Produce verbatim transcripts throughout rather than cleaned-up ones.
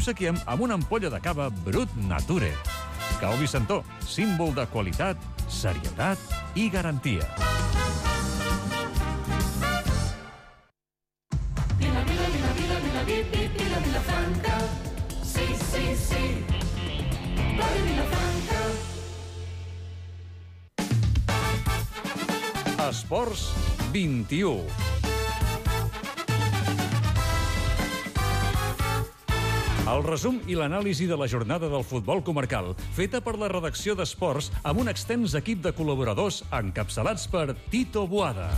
obsequiem amb una ampolla de cava Brut Nature. Cau Vicentó, símbol de qualitat, serietat i garantia. Vila, vila, vila, vila, vila, vila, Vilafranca. Sí, sí, sí. Ràdio Vilafranca. Esports vint-i-u. El resum i l'anàlisi de la jornada del futbol comarcal, feta per la redacció d'Esports amb un extens equip de col·laboradors encapçalats per Tito Boada.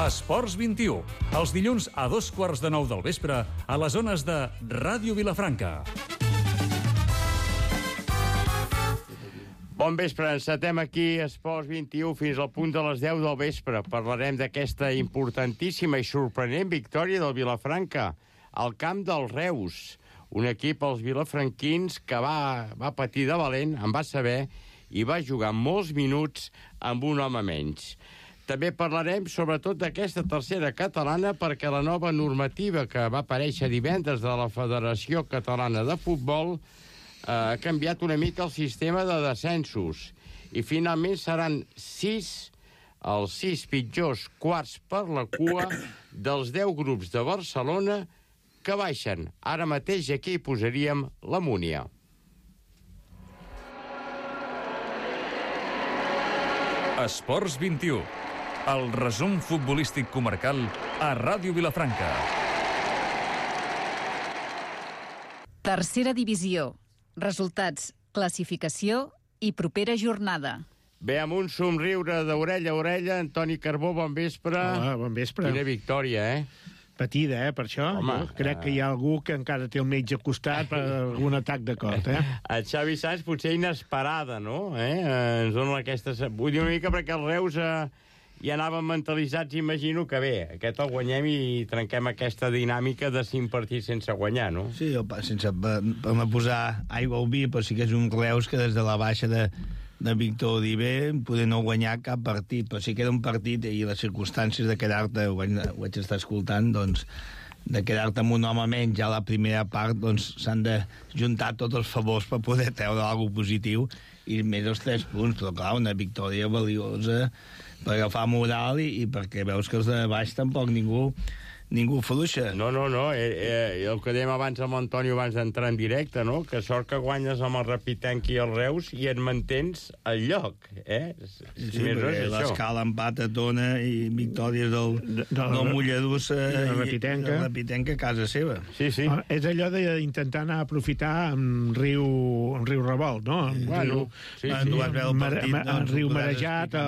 Esports vint-i-u, els dilluns a dos quarts de nou del vespre a les zones de Ràdio Vilafranca. Bon vespre, encetem aquí Esports vint-i-u fins al punt de les deu del vespre. Parlarem d'aquesta importantíssima i sorprenent victòria del Vilafranca al camp del Reus, un equip, els vilafranquins, que va, va patir de valent, en va saber, i va jugar molts minuts amb un home menys. També parlarem sobretot d'aquesta tercera catalana, perquè la nova normativa que va aparèixer divendres de la Federació Catalana de Futbol eh, ha canviat una mica el sistema de descensos, i finalment seran sis, els sis pitjors quarts per la cua dels deu grups de Barcelona que baixen. Ara mateix aquí hi posaríem la Múnia. Esports vint-i-u, el resum futbolístic comarcal a Ràdio Vilafranca. Tercera divisió. Resultats, classificació i propera jornada. Bé, amb un somriure d'orella a orella, Antoni Carbó, bon vespre. Hola, bon vespre. Quina victòria, eh? Patida, eh, per això. Home, jo crec que hi ha algú que encara té el metge al costat per algun atac de cor, eh? El Xavi Sanz potser inesperada, no? Eh? Ens dona aquesta... Vull dir una mica perquè els Reus eh, ja anaven mentalitzats, imagino que bé, aquest el guanyem i trenquem aquesta dinàmica de cinc partits sense guanyar, no? Sí, sense per, per no posar aigua al vi, però sí que és un Reus que des de la baixa de, de Víctor Oliver poder no guanyar cap partit, però sí que era un partit i les circumstàncies de quedar-te, ho vaig, ho vaig estar escoltant, doncs de quedar-te amb un home menys ja a la primera part, doncs s'han de juntar tots els favors per poder treure alguna positiu i més els tres punts, però clar, una victòria valiosa per agafar moral i, i perquè veus que els de baix tampoc ningú ningú fluixa. No, no, no, eh, eh, el que dèiem abans amb l'Antonio abans d'entrar en directe, no? Que sort que guanyes amb el Rapitenc i el Reus i et mantens al lloc, eh? Si sí, sí, perquè l'escala empat a Tona i victòries del, de, de, del Mollerussa i la Rapitenca. la Rapitenca a casa seva. Sí, sí. Ah, és allò d'intentar anar a aprofitar amb riu, amb riu revolt, no? Amb bueno, riu, sí, sí. Mar, mar, mar, doncs, riu marejat,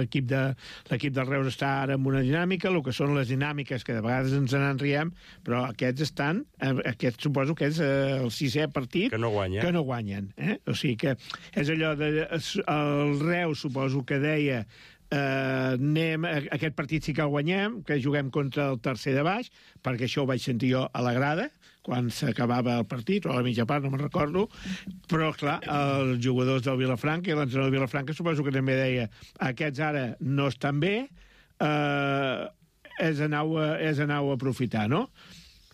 l'equip de, l'equip del Reus està ara en una dinàmica, el que són les dinàmiques que de vegades ens en riem, però aquests estan, aquests suposo que és eh, el sisè partit que no guanya. que no guanyen. Eh? O sigui que és allò de... El Reus suposo que deia eh, anem, aquest partit sí que el guanyem, que juguem contra el tercer de baix, perquè això ho vaig sentir jo a la grada, quan s'acabava el partit, o a la mitja part, no me'n recordo, però, clar, els jugadors del Vilafranca i l'entrenador del Vilafranca suposo que també deia aquests ara no estan bé, eh, és anar-ho a, és anar-ho a aprofitar, no?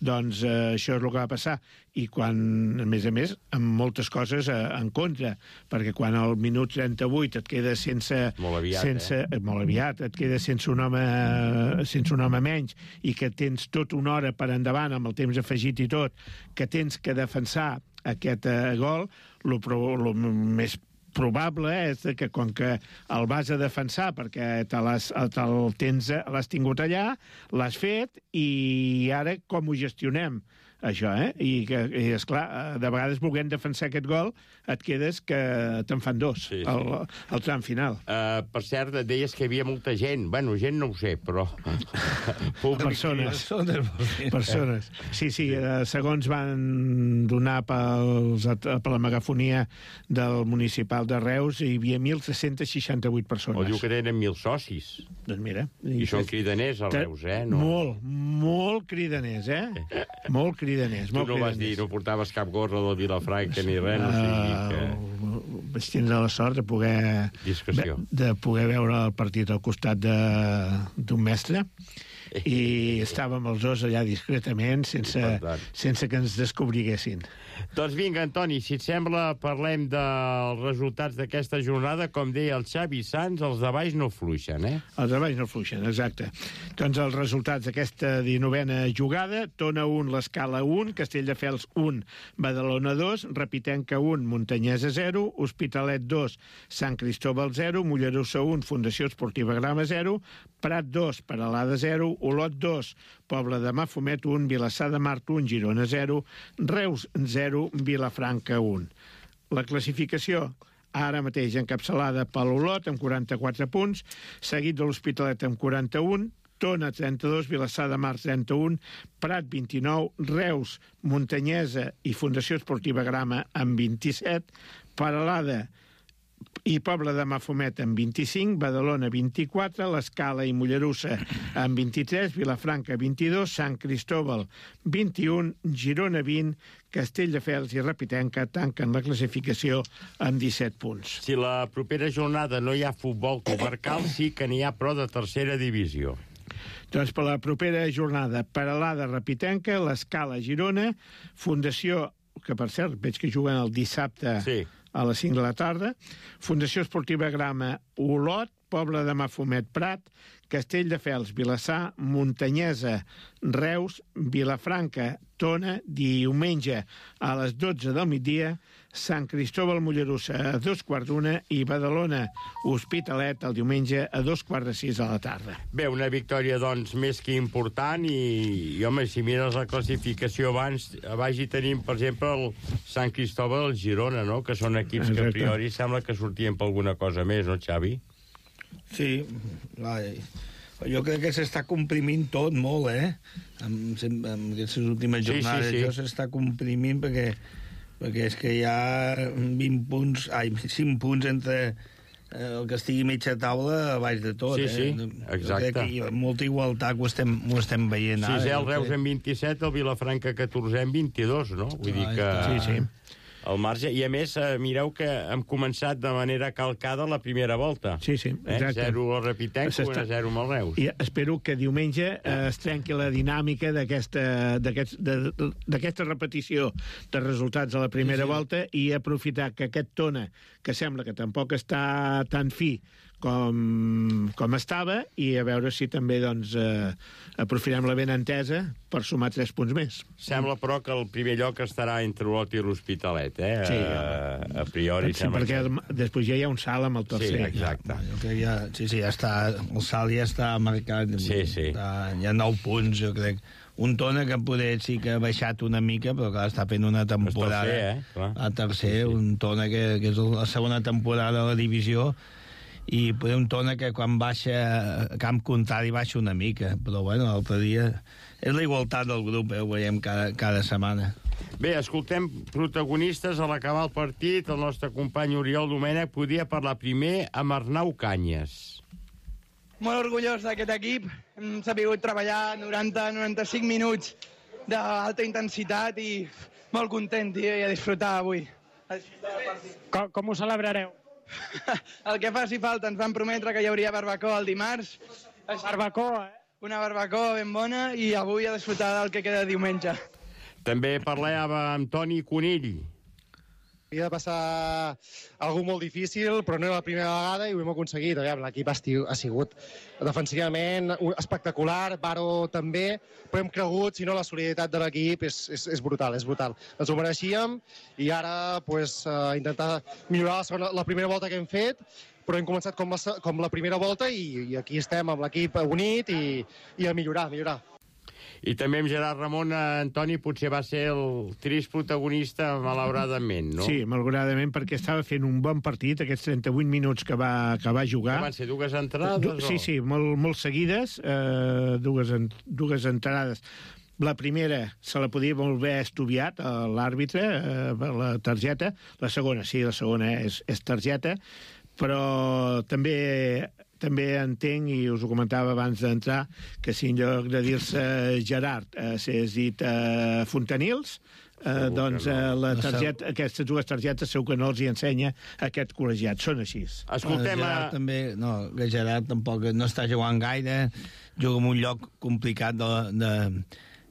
Doncs eh, això és el que va passar. I quan, a més a més, amb moltes coses eh, en contra, perquè quan al minut trenta-vuit et queda sense... Molt aviat, sense, eh? Molt aviat, et queda sense un home sense un home menys, i que tens tot una hora per endavant, amb el temps afegit i tot, que tens que defensar aquest eh, gol, el més probable és que com que el vas a defensar perquè te l'has, te'l tens, l'has tingut allà, l'has fet, i ara com ho gestionem, això, eh? I, que, i esclar, de vegades volent defensar aquest gol et quedes que te'n fan dos, sí, sí. El, el tram final. Uh, per cert, et deies que hi havia molta gent. Bueno, gent no ho sé, però... Persones. Persones. Sí, sí, eh, segons van donar pels, per la megafonia del municipal de Reus, hi havia mil tres-cents seixanta-vuit persones. O diu que tenen mil socis. Doncs mira. I, I són cridaners, a Reus, eh? No. Molt, molt cridaners, eh? Molt cridaners. Tu no vas dir, no portaves cap gorra del Vilafranca ni res, no sigui que... Uh, vaig tindre la sort de poder... Discreció. De poder veure el partit al costat d'un mestre, i estàvem els dos allà discretament sense, sense que ens descobriguessin. Doncs vinga, Antoni, si et sembla, parlem dels resultats d'aquesta jornada. Com deia el Xavi Sans, els de baix no fluixen, eh? Els de baix no fluixen, exacte. Doncs els resultats d'aquesta dinovena jugada: Tona un, l'Escala un, Castelldefels un, Badalona dos, Repitenca un, Montanyesa zero, Hospitalet dos, Sant Cristóbal zero, Mollerussa un, Fundació Esportiva Grama zero, Prat dos, Peralada zero, Olot dos, Pobla de Mafumet un, Vilassar de Mar un, Girona zero, Reus zero, Vilafranca un. La classificació ara mateix encapçalada per l'Olot amb quaranta-quatre punts, seguit de l'Hospitalet amb quaranta-un, Tona trenta-dos, Vilassar de Mar trenta-un, Prat vint-i-nou, Reus, Montanyesa i Fundació Esportiva Grama amb vint-i-set, Peralada i Pobla de Mafumet amb vint-i-cinc, Badalona vint-i-quatre, l'Escala i Mollerussa amb vint-i-tres, Vilafranca vint-i-dos, Sant Cristóbal vint-i-un, Girona vint, Castelldefels i Repitenca tanquen la classificació amb disset punts. Si la propera jornada no hi ha futbol comarcal, sí que n'hi ha però de tercera divisió. Doncs per la propera jornada, Peralada, Repitenca, l'Escala, Girona, Fundació, que per cert veig que juguen el dissabte sí. a les cinc de la tarda, Fundació Esportiva Grama, Olot, Pobla de Mafumet, Prat, Castelldefels, Vilassar, Montanyesa, Reus, Vilafranca, Tona, diumenge a les dotze del migdia, Sant Cristóbal, Mollerussa a dos quarts d'una i Badalona, Hospitalet el diumenge a dos quarts de sis de la tarda. Bé, una victòria, doncs, més que important i, i home, si mires la classificació abans, a baix hi tenim, per exemple, el Sant Cristóbal i el Girona, no?, que són equips Exacte. que a priori sembla que sortien per alguna cosa més, no, Xavi? Sí, vai. Jo crec que s'està comprimint tot molt, eh? Amb, amb aquestes últimes jornades sí, sí, sí. això s'està comprimint perquè, perquè és que hi ha vint punts, ai, cinc punts entre el que estigui mitja taula a baix de tot. Sí, eh? sí, exacte. Jo crec que hi ha molta igualtat que ho estem, ho estem veient ara. Sí, el Reus en vint-i-set, el Vilafranca catorze en vint-i-dos, no? Vull dir que... Sí, sí. El marge, i a més, eh, mireu que hem començat de manera calcada la primera volta. Sí, sí, exacte. Eh? zero al Repitenca, un a zero amb el Reus. I espero que diumenge eh, es trenqui la dinàmica d'aquesta repetició de resultats a la primera sí, sí. volta i aprofitar que aquest Tona, que sembla que tampoc està tan fi com, com estava, i a veure si també doncs, eh, aprofitem la benentesa per sumar tres punts més. Sembla, però, que el primer lloc estarà entre l'Olot i l'Hospitalet, eh? Sí, a, a priori. Sí, perquè el, després ja hi ha un salt amb el tercer. Sí, exacte. Jo crec que ja, sí, sí, ja està, el salt ja està marcat. Sí, sí. Està, hi ha nou punts, jo crec. Un Tona que poder sí que ha baixat una mica, però clar, està fent una temporada. El tercer, eh? Clar. A tercer, sí, sí. un Tona que, que és la segona temporada de la divisió, i poder un Tona que quan baixa a camp contrari baixa una mica, però bueno, l'altre dia és la igualtat del grup, eh? Ho veiem cada, cada setmana. Bé, escoltem protagonistes a l'acabar el partit. El nostre company Oriol Domènech podia parlar primer amb Arnau Canyes. Molt orgullós d'aquest equip. Hem sabut treballar noranta a noranta-cinc minuts d'alta intensitat i molt content, tio, i a disfrutar avui. A disfrutar del partit. Com, com ho celebrareu? El que faci falta. Ens van prometre que hi hauria barbacoa el dimarts. Barbacoa, eh? Una barbacoa ben bona i avui a disfrutar del que queda diumenge. També parlàvem amb Toni Conill. Havia de passar algú molt difícil, però no era la primera vegada i ho hem aconseguit. L'equip ha sigut defensivament espectacular, Baro també, però hem cregut, si no, la solidaritat de l'equip és, és, és brutal, és brutal. Ens ho mereixíem i ara pues, uh, intentar millorar la, segona, la primera volta que hem fet, però hem començat com la, com la primera volta i, i aquí estem amb l'equip unit i, i a millorar, a millorar. I també amb Gerard Ramon, Antoni, potser va ser el trist protagonista, malauradament, no? Sí, malauradament, perquè estava fent un bon partit, aquests trenta-vuit minuts que va, que va jugar. Que van ser dues entrades? Du sí, sí, molt, molt seguides, eh, dues, en, dues entrades. La primera se la podia molt bé estudiat a l'àrbitre, eh, la targeta. La segona, sí, la segona és, és targeta, però també... també entenc, i us ho comentava abans d'entrar, que si en lloc de dir-se Gerard eh, s'és dit eh, Fontanils, eh, doncs eh, la targeta, aquestes dues targetes segur que no els hi ensenya aquest col·legiat. Són així. Escoltem a... Gerard també, no, que Gerard tampoc no està jugant gaire, juga en un lloc complicat de, de,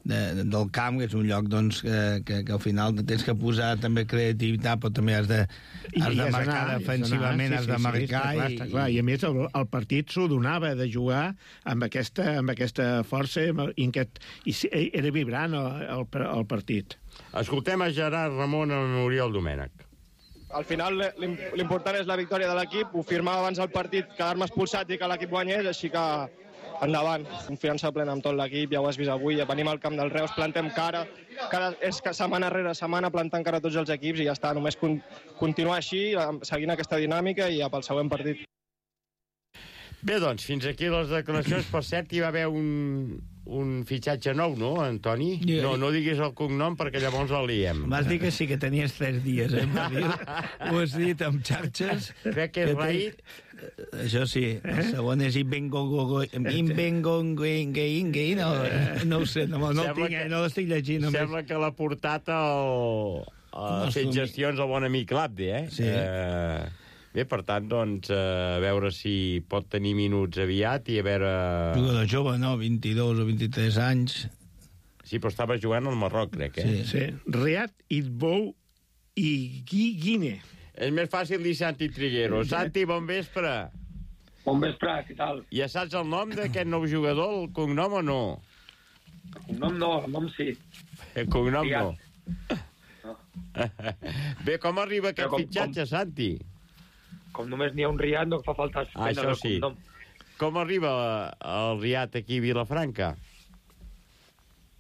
de, del camp, que és un lloc doncs, que, que, que al final tens que posar també creativitat, però també has de, has de marcar anar, defensivament, has de marcar. Sí, sí, està clar, i, està clar. I a més el, el partit s'ho donava de jugar amb aquesta, amb aquesta força i, aquest, i era vibrant el, el, el partit. Escoltem a Gerard Ramon amb Oriol Domènech. Al final l'important és la victòria de l'equip. Ho firmava abans del partit, quedar-me expulsat i que l'equip guanyés, així que endavant. Confiança plena amb tot l'equip, ja ho has vist avui. Venim al camp del Reus, plantem cara. Cada, és que setmana rere setmana plantant cara a tots els equips i ja està. Només con, continuar així, seguint aquesta dinàmica i ja pel següent partit. Bé, doncs, fins aquí les declaracions. Per cert, hi va haver un, un fitxatge nou, no, Antoni? No, no diguis el cognom perquè llavors el liem. Vas dir que sí, que tenies tres dies, eh? Ho has dit amb xarxes. Crec que és Raït. Això sí. El segon és Invengongo... Invengongo... No, no ho sé, no, no el tinc, que, no l'estic llegint. Només. Sembla que l'ha portat el... Ha fet gestions al bon amic Labde, eh? Sí. Eh... Bé, per tant, doncs, a veure si pot tenir minuts aviat i a veure... Jugador jove, no? vint-i-dos o vint-i-tres anys. Sí, però estava jugant al Marroc, crec, eh? Sí, sí. Riad, Itbou i Guine. És més fàcil dir Santi Triguero. Santi, bon vespre. Bon vespre, què tal? Ja saps el nom d'aquest nou jugador, el cognom o no? El cognom no, el nom sí. El cognom Riad. no. no. Bé, com arriba aquest com, fitxatge, com... Santi? Com només n'hi ha un Riad, no fa falta ah, això sí. Cognom. Com arriba el Riad aquí a Vilafranca?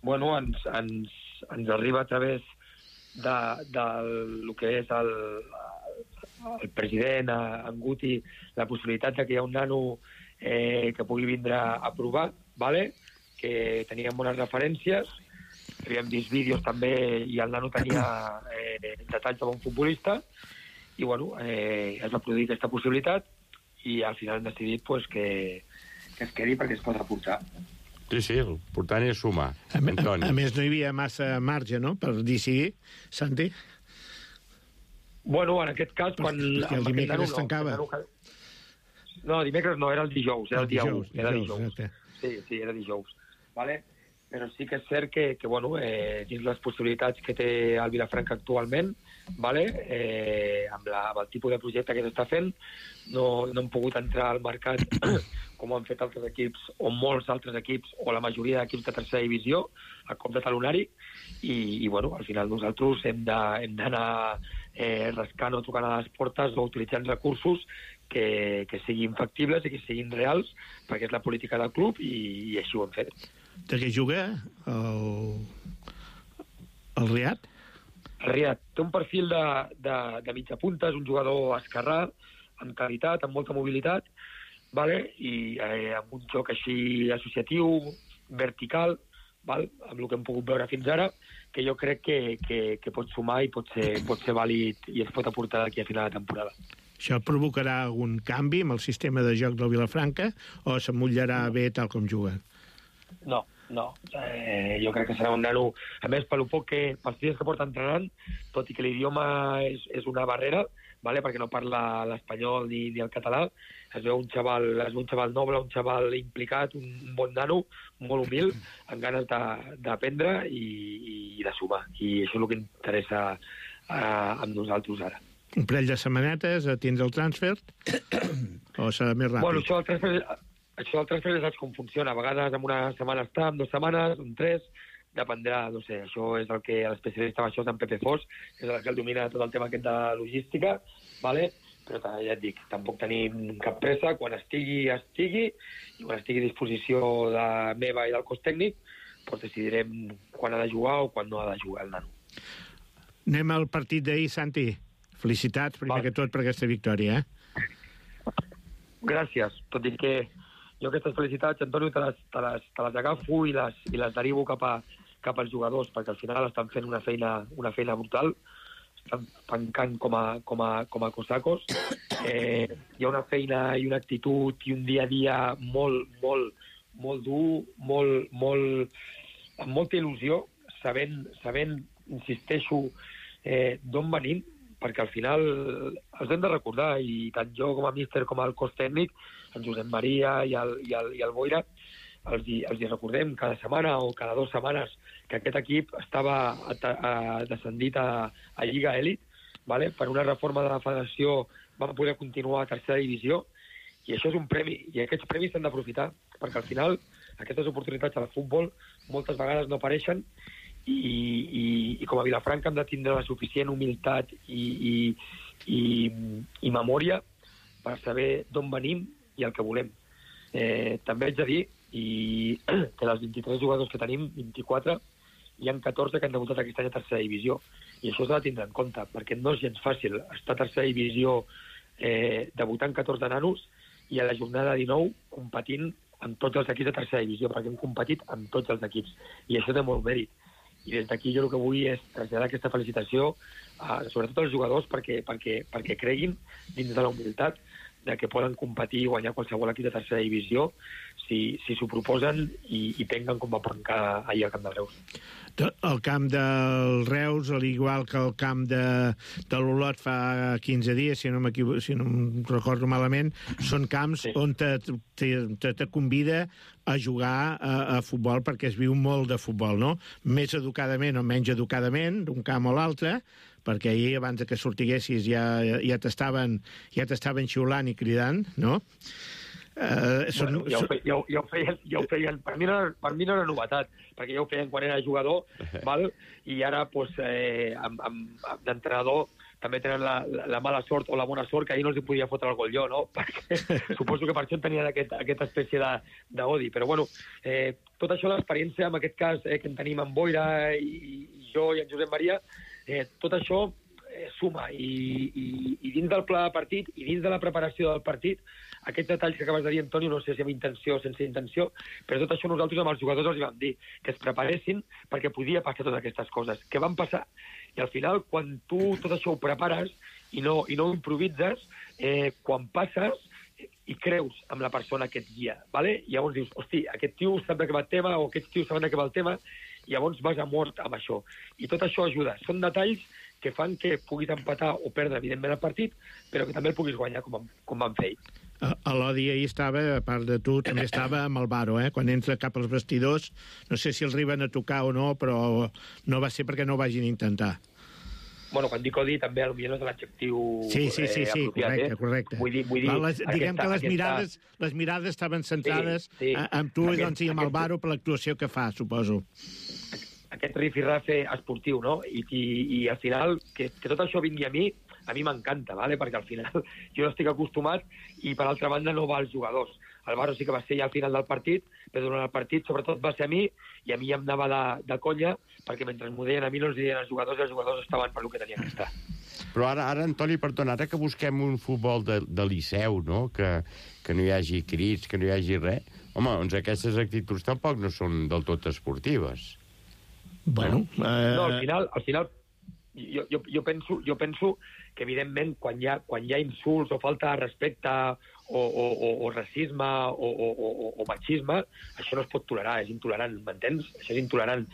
Bueno, ens, ens, ens arriba a través de, de el que és el, el president, en Guti, la possibilitat de que hi ha un nano eh, que pugui vindre a provar, vale? Que teníem bones referències, havíem vist vídeos també i el nano tenia eh, detalls de bon futbolista, i bueno, eh, es va produir aquesta possibilitat i al final hem decidit pues, que, que es quedi perquè es pot aportar. Sí, sí, l'important és sumar. A, a, a més, no hi havia massa marge, no?, per decidir, Santi? Bueno, en aquest cas, quan... Perquè el dimecres es tancava. No, no, dimecres no, era el dijous, era el dia u. Era dijous, sí, sí, era dijous. Vale? Però sí que és cert que, que bueno, eh, dins les possibilitats que té el Vilafranca actualment, vale? eh, amb, la, amb el tipus de projecte que s'està fent, no, no hem pogut entrar al mercat com han fet altres equips, o molts altres equips, o la majoria d'equips de tercera divisió, a cop de talonari, i, i bueno, al final nosaltres hem d'anar eh, rascant o tocant a les portes o utilitzant recursos que, que siguin factibles i que siguin reals, perquè és la política del club, i, i així ho hem fet. De què juga el, el Riad? El Riad té un perfil de, de, de mitja punta, és un jugador esquerrà, amb qualitat, amb molta mobilitat, vale? I eh, amb un joc així associatiu, vertical, val? Amb el que hem pogut veure fins ara, que jo crec que, que, que pot sumar i pot ser, pot ser vàlid i es pot aportar d'aquí a final de temporada. Això provocarà algun canvi amb el sistema de joc del Vilafranca o s'emmotllarà bé tal com juga? No, no. Eh, jo crec que serà un nano... A més, pel poc que, pels dies que porta entrenant, tot i que l'idioma és, és una barrera, vale? Perquè no parla l'espanyol ni, ni el català, es veu un xaval, es veu un xaval noble, un xaval implicat, un, un bon nano, molt humil, amb ganes d'aprendre i, i de sumar. I això és el que interessa eh, amb nosaltres ara. Un parell de setmanetes a tindre el transfer o serà més ràpid? Bueno, això el transfer... Això del transfer saps com funciona. A vegades en una setmana està, en dues setmanes, en tres, dependrà, no sé, això és el que l'especialista en això és en Pepe Fos, és el que el domina tot el tema aquest de logística, vale? Però ja et dic, tampoc tenim cap pressa, quan estigui, estigui, i quan estigui a disposició de meva i del cos tècnic, doncs decidirem quan ha de jugar o quan no ha de jugar el nano. Anem al partit d'ahir, Santi. Felicitats, primer vale. que tot, per aquesta victòria, eh? Gràcies, tot i que jo aquestes felicitats, Antonio, te les, te les, te les agafo i les, i les derivo cap, a, cap als jugadors, perquè al final estan fent una feina, una feina brutal, estan tancant com a, com a, com a cosacos. Eh, hi ha una feina i una actitud i un dia a dia molt, molt, molt dur, molt, molt, amb molta il·lusió, sabent, sabent insisteixo, eh, d'on venim, perquè al final els hem de recordar, i tant jo com a míster com el cos tècnic, en Josep Maria i el, i el, i el Boira, els hi, els hi recordem cada setmana o cada dues setmanes que aquest equip estava a, a, descendit a, a Lliga Elit, vale? Per una reforma de la federació van poder continuar a tercera divisió, i això és un premi, i aquests premis s'han d'aprofitar, perquè al final aquestes oportunitats al futbol moltes vegades no apareixen, i, i, i com a Vilafranca hem de tindre la suficient humilitat i, i, i, i memòria per saber d'on venim i el que volem. Eh, també haig de dir i que dels vint-i-tres jugadors que tenim, vint-i-quatre, hi ha catorze que han debutat aquest any a tercera divisió, i això s'ha de tindre en compte, perquè no és gens fàcil estar a tercera divisió eh, debutant catorze nanos i a la jornada dinou competint amb tots els equips de tercera divisió, perquè hem competit amb tots els equips, i això té molt mèrit. I des d'aquí jo el que vull és traslladar aquesta felicitació a, sobretot als jugadors perquè, perquè, perquè creguin dins de la humilitat de que poden competir i guanyar qualsevol equip de tercera divisió si, si s'ho proposen i, i penguen com va pencar ahir al camp del Reus. El camp del Reus, al igual que el camp de, de l'Olot fa quinze dies, si no, si no em recordo malament, són camps sí. on te, te, te, te convida a jugar a, a futbol perquè es viu molt de futbol, no? Més educadament o menys educadament, d'un camp o l'altre, perquè ahir, abans que sortiguessis, ja, ja t'estaven ja t'estaven xiulant i cridant, no? Uh, són, bueno, ja, ho fe, ja, ja, ho feien, ja ho feien, per mi, no, per mi no era novetat, perquè ja ho feien quan era jugador, val? I ara pues, eh, amb, amb, amb d'entrenador també tenen la, la, la mala sort o la bona sort que ahir no els podia fotre el gol jo, no? Perquè suposo que per això tenien aquest, aquesta espècie d'odi. Però bueno, eh, tot això, l'experiència, en aquest cas eh, que en tenim amb Boira i, i jo i en Josep Maria, eh, tot això eh, suma i, i, i dins del pla de partit i dins de la preparació del partit, aquests detalls que acabes de dir, Antonio, no sé si amb intenció o sense intenció, però tot això nosaltres amb els jugadors els vam dir que es preparessin perquè podia passar totes aquestes coses, que van passar. I al final, quan tu tot això ho prepares i no, i no ho improvises, eh, quan passes i creus amb la persona que et guia, ¿vale? I llavors dius, hosti, aquest tio sap de què va el tema, o aquests tios saben de què va el tema, i llavors vas a mort amb això. I tot això ajuda. Són detalls que fan que puguis empatar o perdre, evidentment, el partit, però que també el puguis guanyar, com, com van fer ells. L'Odi ahir estava, a part de tu, també estava amb el Varo, eh? Quan entra cap als vestidors, no sé si els arriben a tocar o no, però no va ser perquè no ho vagin intentar. Bueno, quan dic odi, també potser no és l'adjectiu sí, sí, sí, sí, apropiat, correcte, eh? correcte. Vull dir, vull dir, les, diguem aquesta, que les aquesta... mirades, les mirades estaven centrades sí, sí. amb tu aquest, doncs, i amb aquest... el Varo per l'actuació que fa, suposo. Aquest rifirrafe esportiu, no? I, i, i al final, que, que tot això vingui a mi, a mi m'encanta, ¿vale? Perquè al final jo no estic acostumat i, per altra banda, no va als jugadors. El Varo sí que va ser ja al final del partit, però durant el partit, sobretot, va ser a mi, i a mi em anava de, de conya, perquè mentre m'ho deien a mi no els deien als jugadors, i els jugadors estaven per lo que tenien que estar. Però ara, ara Antoni, perdona, ara que busquem un futbol de, de liceu, no? Que, que no hi hagi crits, que no hi hagi res, home, doncs aquestes actituds tampoc no són del tot esportives. Bueno... Eh... No, al final, al final jo, jo, jo, penso, jo penso que, evidentment, quan hi ha, quan hi ha insults o falta de respecte o, o, o, o racisme o, o, o, o machisme, això no es pot tolerar, és intolerant, m'entens? Això és intolerant.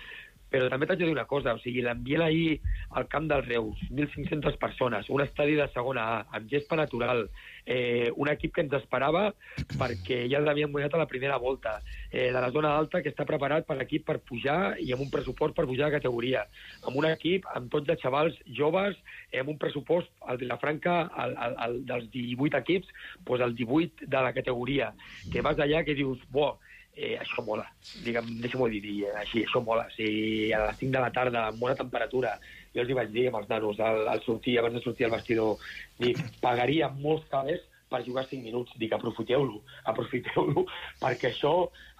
Però també t'haig de dir una cosa, o sigui, l'ambient ahir al camp del Reus, mil cinc-centes persones, un estadi de segona A, amb gespa natural, eh, un equip que ens esperava perquè ja l'havien guanyat a la primera volta, eh, de la zona alta que està preparat per l'equip per pujar i amb un pressupost per pujar de categoria, amb un equip amb tots de xavals joves, eh, amb un pressupost, el Vilafranca, el, el, el, dels divuit equips, doncs el divuit de la categoria, que vas allà que dius, bo, Eh, això mola, digue'm, deixa'm-ho dir, dir així, això mola. Si a les cinc de la tarda, amb bona temperatura, jo els hi vaig dir amb els nanos, al, al sortir, abans de sortir al vestidor, dic, pagaria molts calés per jugar cinc minuts. Dic, aprofiteu-lo, aprofiteu-lo, perquè això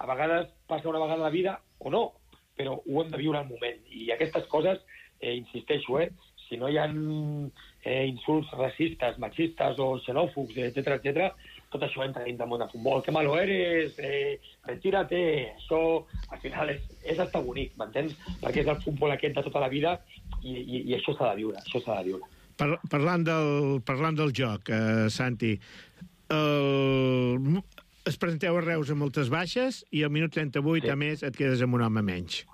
a vegades passa una vegada a la vida o no, però ho hem de viure al moment. I aquestes coses, eh, insisteixo, eh, si no hi ha eh, insults racistes, machistes o xenòfobs, etcètera, etcètera, tot això entra dins del món de futbol. Que malo eres, eh, retírate, això al final és, és hasta bonic, m'entens? Perquè és el futbol aquest de tota la vida i, i, i això s'ha de viure, això s'ha de viure. Par parlant, del, parlant del joc, eh, Santi, el... es presenteu a Reus amb moltes baixes i al minut trenta-vuit, sí. a més, et quedes amb un home menys.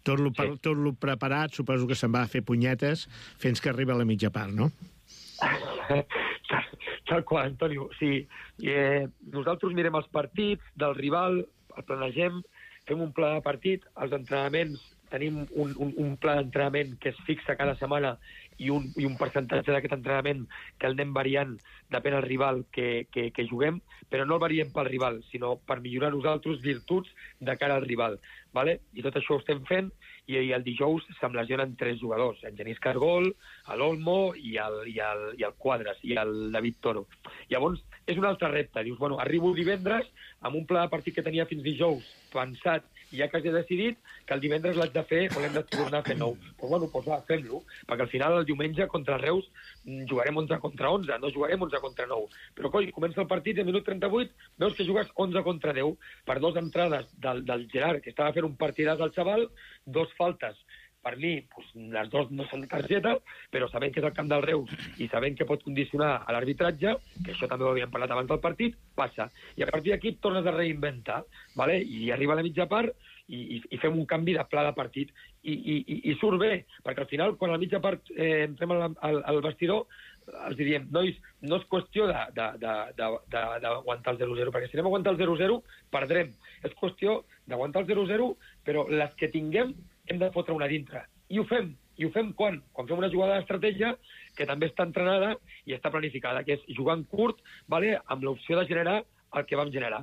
Tot lo, sí. tot lo preparat, suposo que se'n va a fer punyetes fins que arriba a la mitja part, no? Tal qual, Antonio. Sí, eh, nosaltres mirem els partits del rival, el planegem, fem un pla de partit, els entrenaments, tenim un, un, un pla d'entrenament que es fixa cada setmana i un, i un percentatge d'aquest entrenament que el anem variant depèn del rival que, que, que juguem, però no el variem pel rival, sinó per millorar nosaltres virtuts de cara al rival. Vale? I tot això ho estem fent, i, i el dijous se'm lesionen tres jugadors, en Genís Cargol, l'Olmo i el, i, el, i el Quadras, i el David Toro. Llavors, és un altre repte. Dius, bueno, arribo divendres amb un pla de partit que tenia fins dijous pensat i ja quasi he decidit que el divendres l'haig de fer o l'hem de tornar a fer nou. Doncs, bueno, doncs va, fem-lo, perquè al final el diumenge contra el Reus jugarem onze contra onze, no jugarem onze contra nou. Però, coi, comença el partit i al minut trenta-vuit veus que jugues onze contra deu per dues entrades del, del Gerard, que estava fent un partidàs al xaval, dos faltes. Per mi, doncs, les dues no són de targeta, però sabent que és el camp del Reus i sabent que pot condicionar a l'arbitratge, que això també ho havíem parlat abans del partit, passa. I a partir d'aquí et tornes a reinventar, ¿vale? I arriba a la mitja part i, i, i fem un canvi de pla de partit. I, i, i surt bé, perquè al final, quan a la mitja part eh, entrem al, al, al vestidor, els diríem, nois, no és qüestió d'aguantar el zero zero, perquè si anem a aguantar el zero zero, perdrem. És qüestió d'aguantar el zero zero, però les que tinguem hem de fotre una dintre. I ho fem. I ho fem quan? Quan fem una jugada d'estratègia que també està entrenada i està planificada, que és jugar en curt, vale, amb l'opció de generar el que vam generar.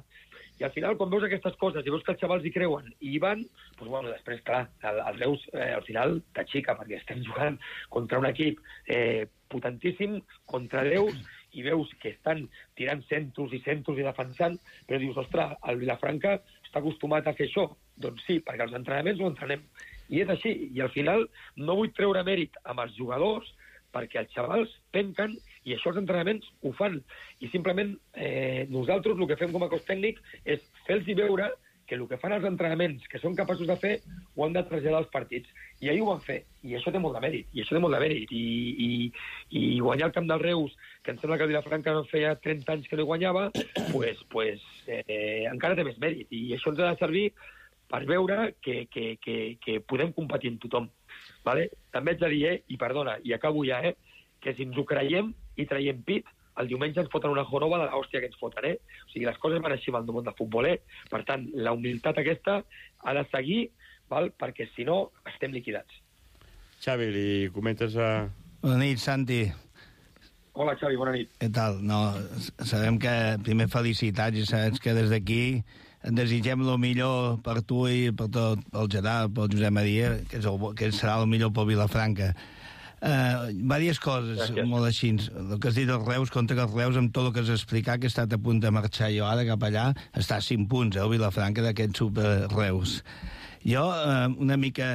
I al final, quan veus aquestes coses i veus que els xavals hi creuen i hi van, doncs, bueno, després, clar, el, el Reus eh, al final t'axica, perquè estem jugant contra un equip eh, potentíssim, contra Reus, i veus que estan tirant centros i centros i defensant, però dius, ostres, el Vilafranca està acostumat a fer això. Doncs sí, perquè els entrenaments ho entrenem. I és així. I al final no vull treure mèrit amb els jugadors perquè els xavals penquen i això els entrenaments ho fan. I simplement eh, nosaltres el que fem com a cos tècnic és fer-los veure que el que fan els entrenaments, que són capaços de fer, ho han de traslladar als partits. I ahir ho van fer. I això té molt de mèrit. I això té molt de mèrit. I, i, i guanyar el camp del Reus, que em sembla que el Vilafranca no feia trenta anys que no hi guanyava, pues, pues, eh, encara té més mèrit. I això ens ha de servir per veure que, que, que, que podem competir amb tothom. Vale? També haig de dir, eh, i perdona, i acabo ja, eh, que si ens ho creiem i traiem pit, el diumenge ens foten una jorova de l'hòstia que ens foten, eh? O sigui, les coses van així amb el món del futbol, eh? Per tant, la humilitat aquesta ha de seguir, val? Perquè si no, estem liquidats. Xavi, li comentes a... Bona nit, Santi. Hola, Xavi, bona nit. Què tal? No, sabem que primer felicitats i saps que des d'aquí et desitgem el millor per tu i per tot el Gerard, pel Josep Maria, que, és el, que serà el millor pel Vilafranca. Uh, diverses coses, gràcies. Molt així. El que has dit dels Reus, contra els Reus, amb tot el que has explicat, que he estat a punt de marxar jo ara cap allà, està a cinc punts, eh, el Vilafranca, d'aquest super Reus. Jo, uh, una mica...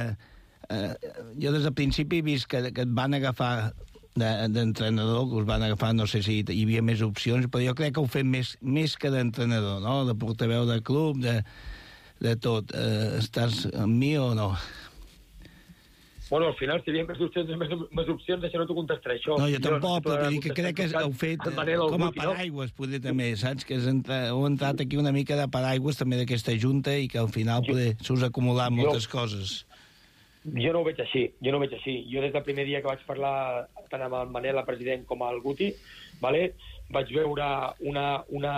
Uh, jo des del principi he vist que, que et van agafar d'entrenador, que us van agafar, no sé si hi havia més opcions, però jo crec que ho fem més, més que d'entrenador, no? De portaveu de club, de, de tot. Uh, estàs amb mi o no? Bueno, al final, si hi havia més opcions, més, més opcions, això no t'ho contestaré, això. No, jo tampoc, jo, però dir que crec que heu fet com a paraigües, poder també, saps? Que entra, heu entrat aquí una mica de paraigües també d'aquesta junta i que al final poder s'us acumular moltes jo, coses. Jo no ho veig així, jo no ho veig així. Jo des del primer dia que vaig parlar tant amb el Manel, el president, com el Guti, vale, vaig veure una, una,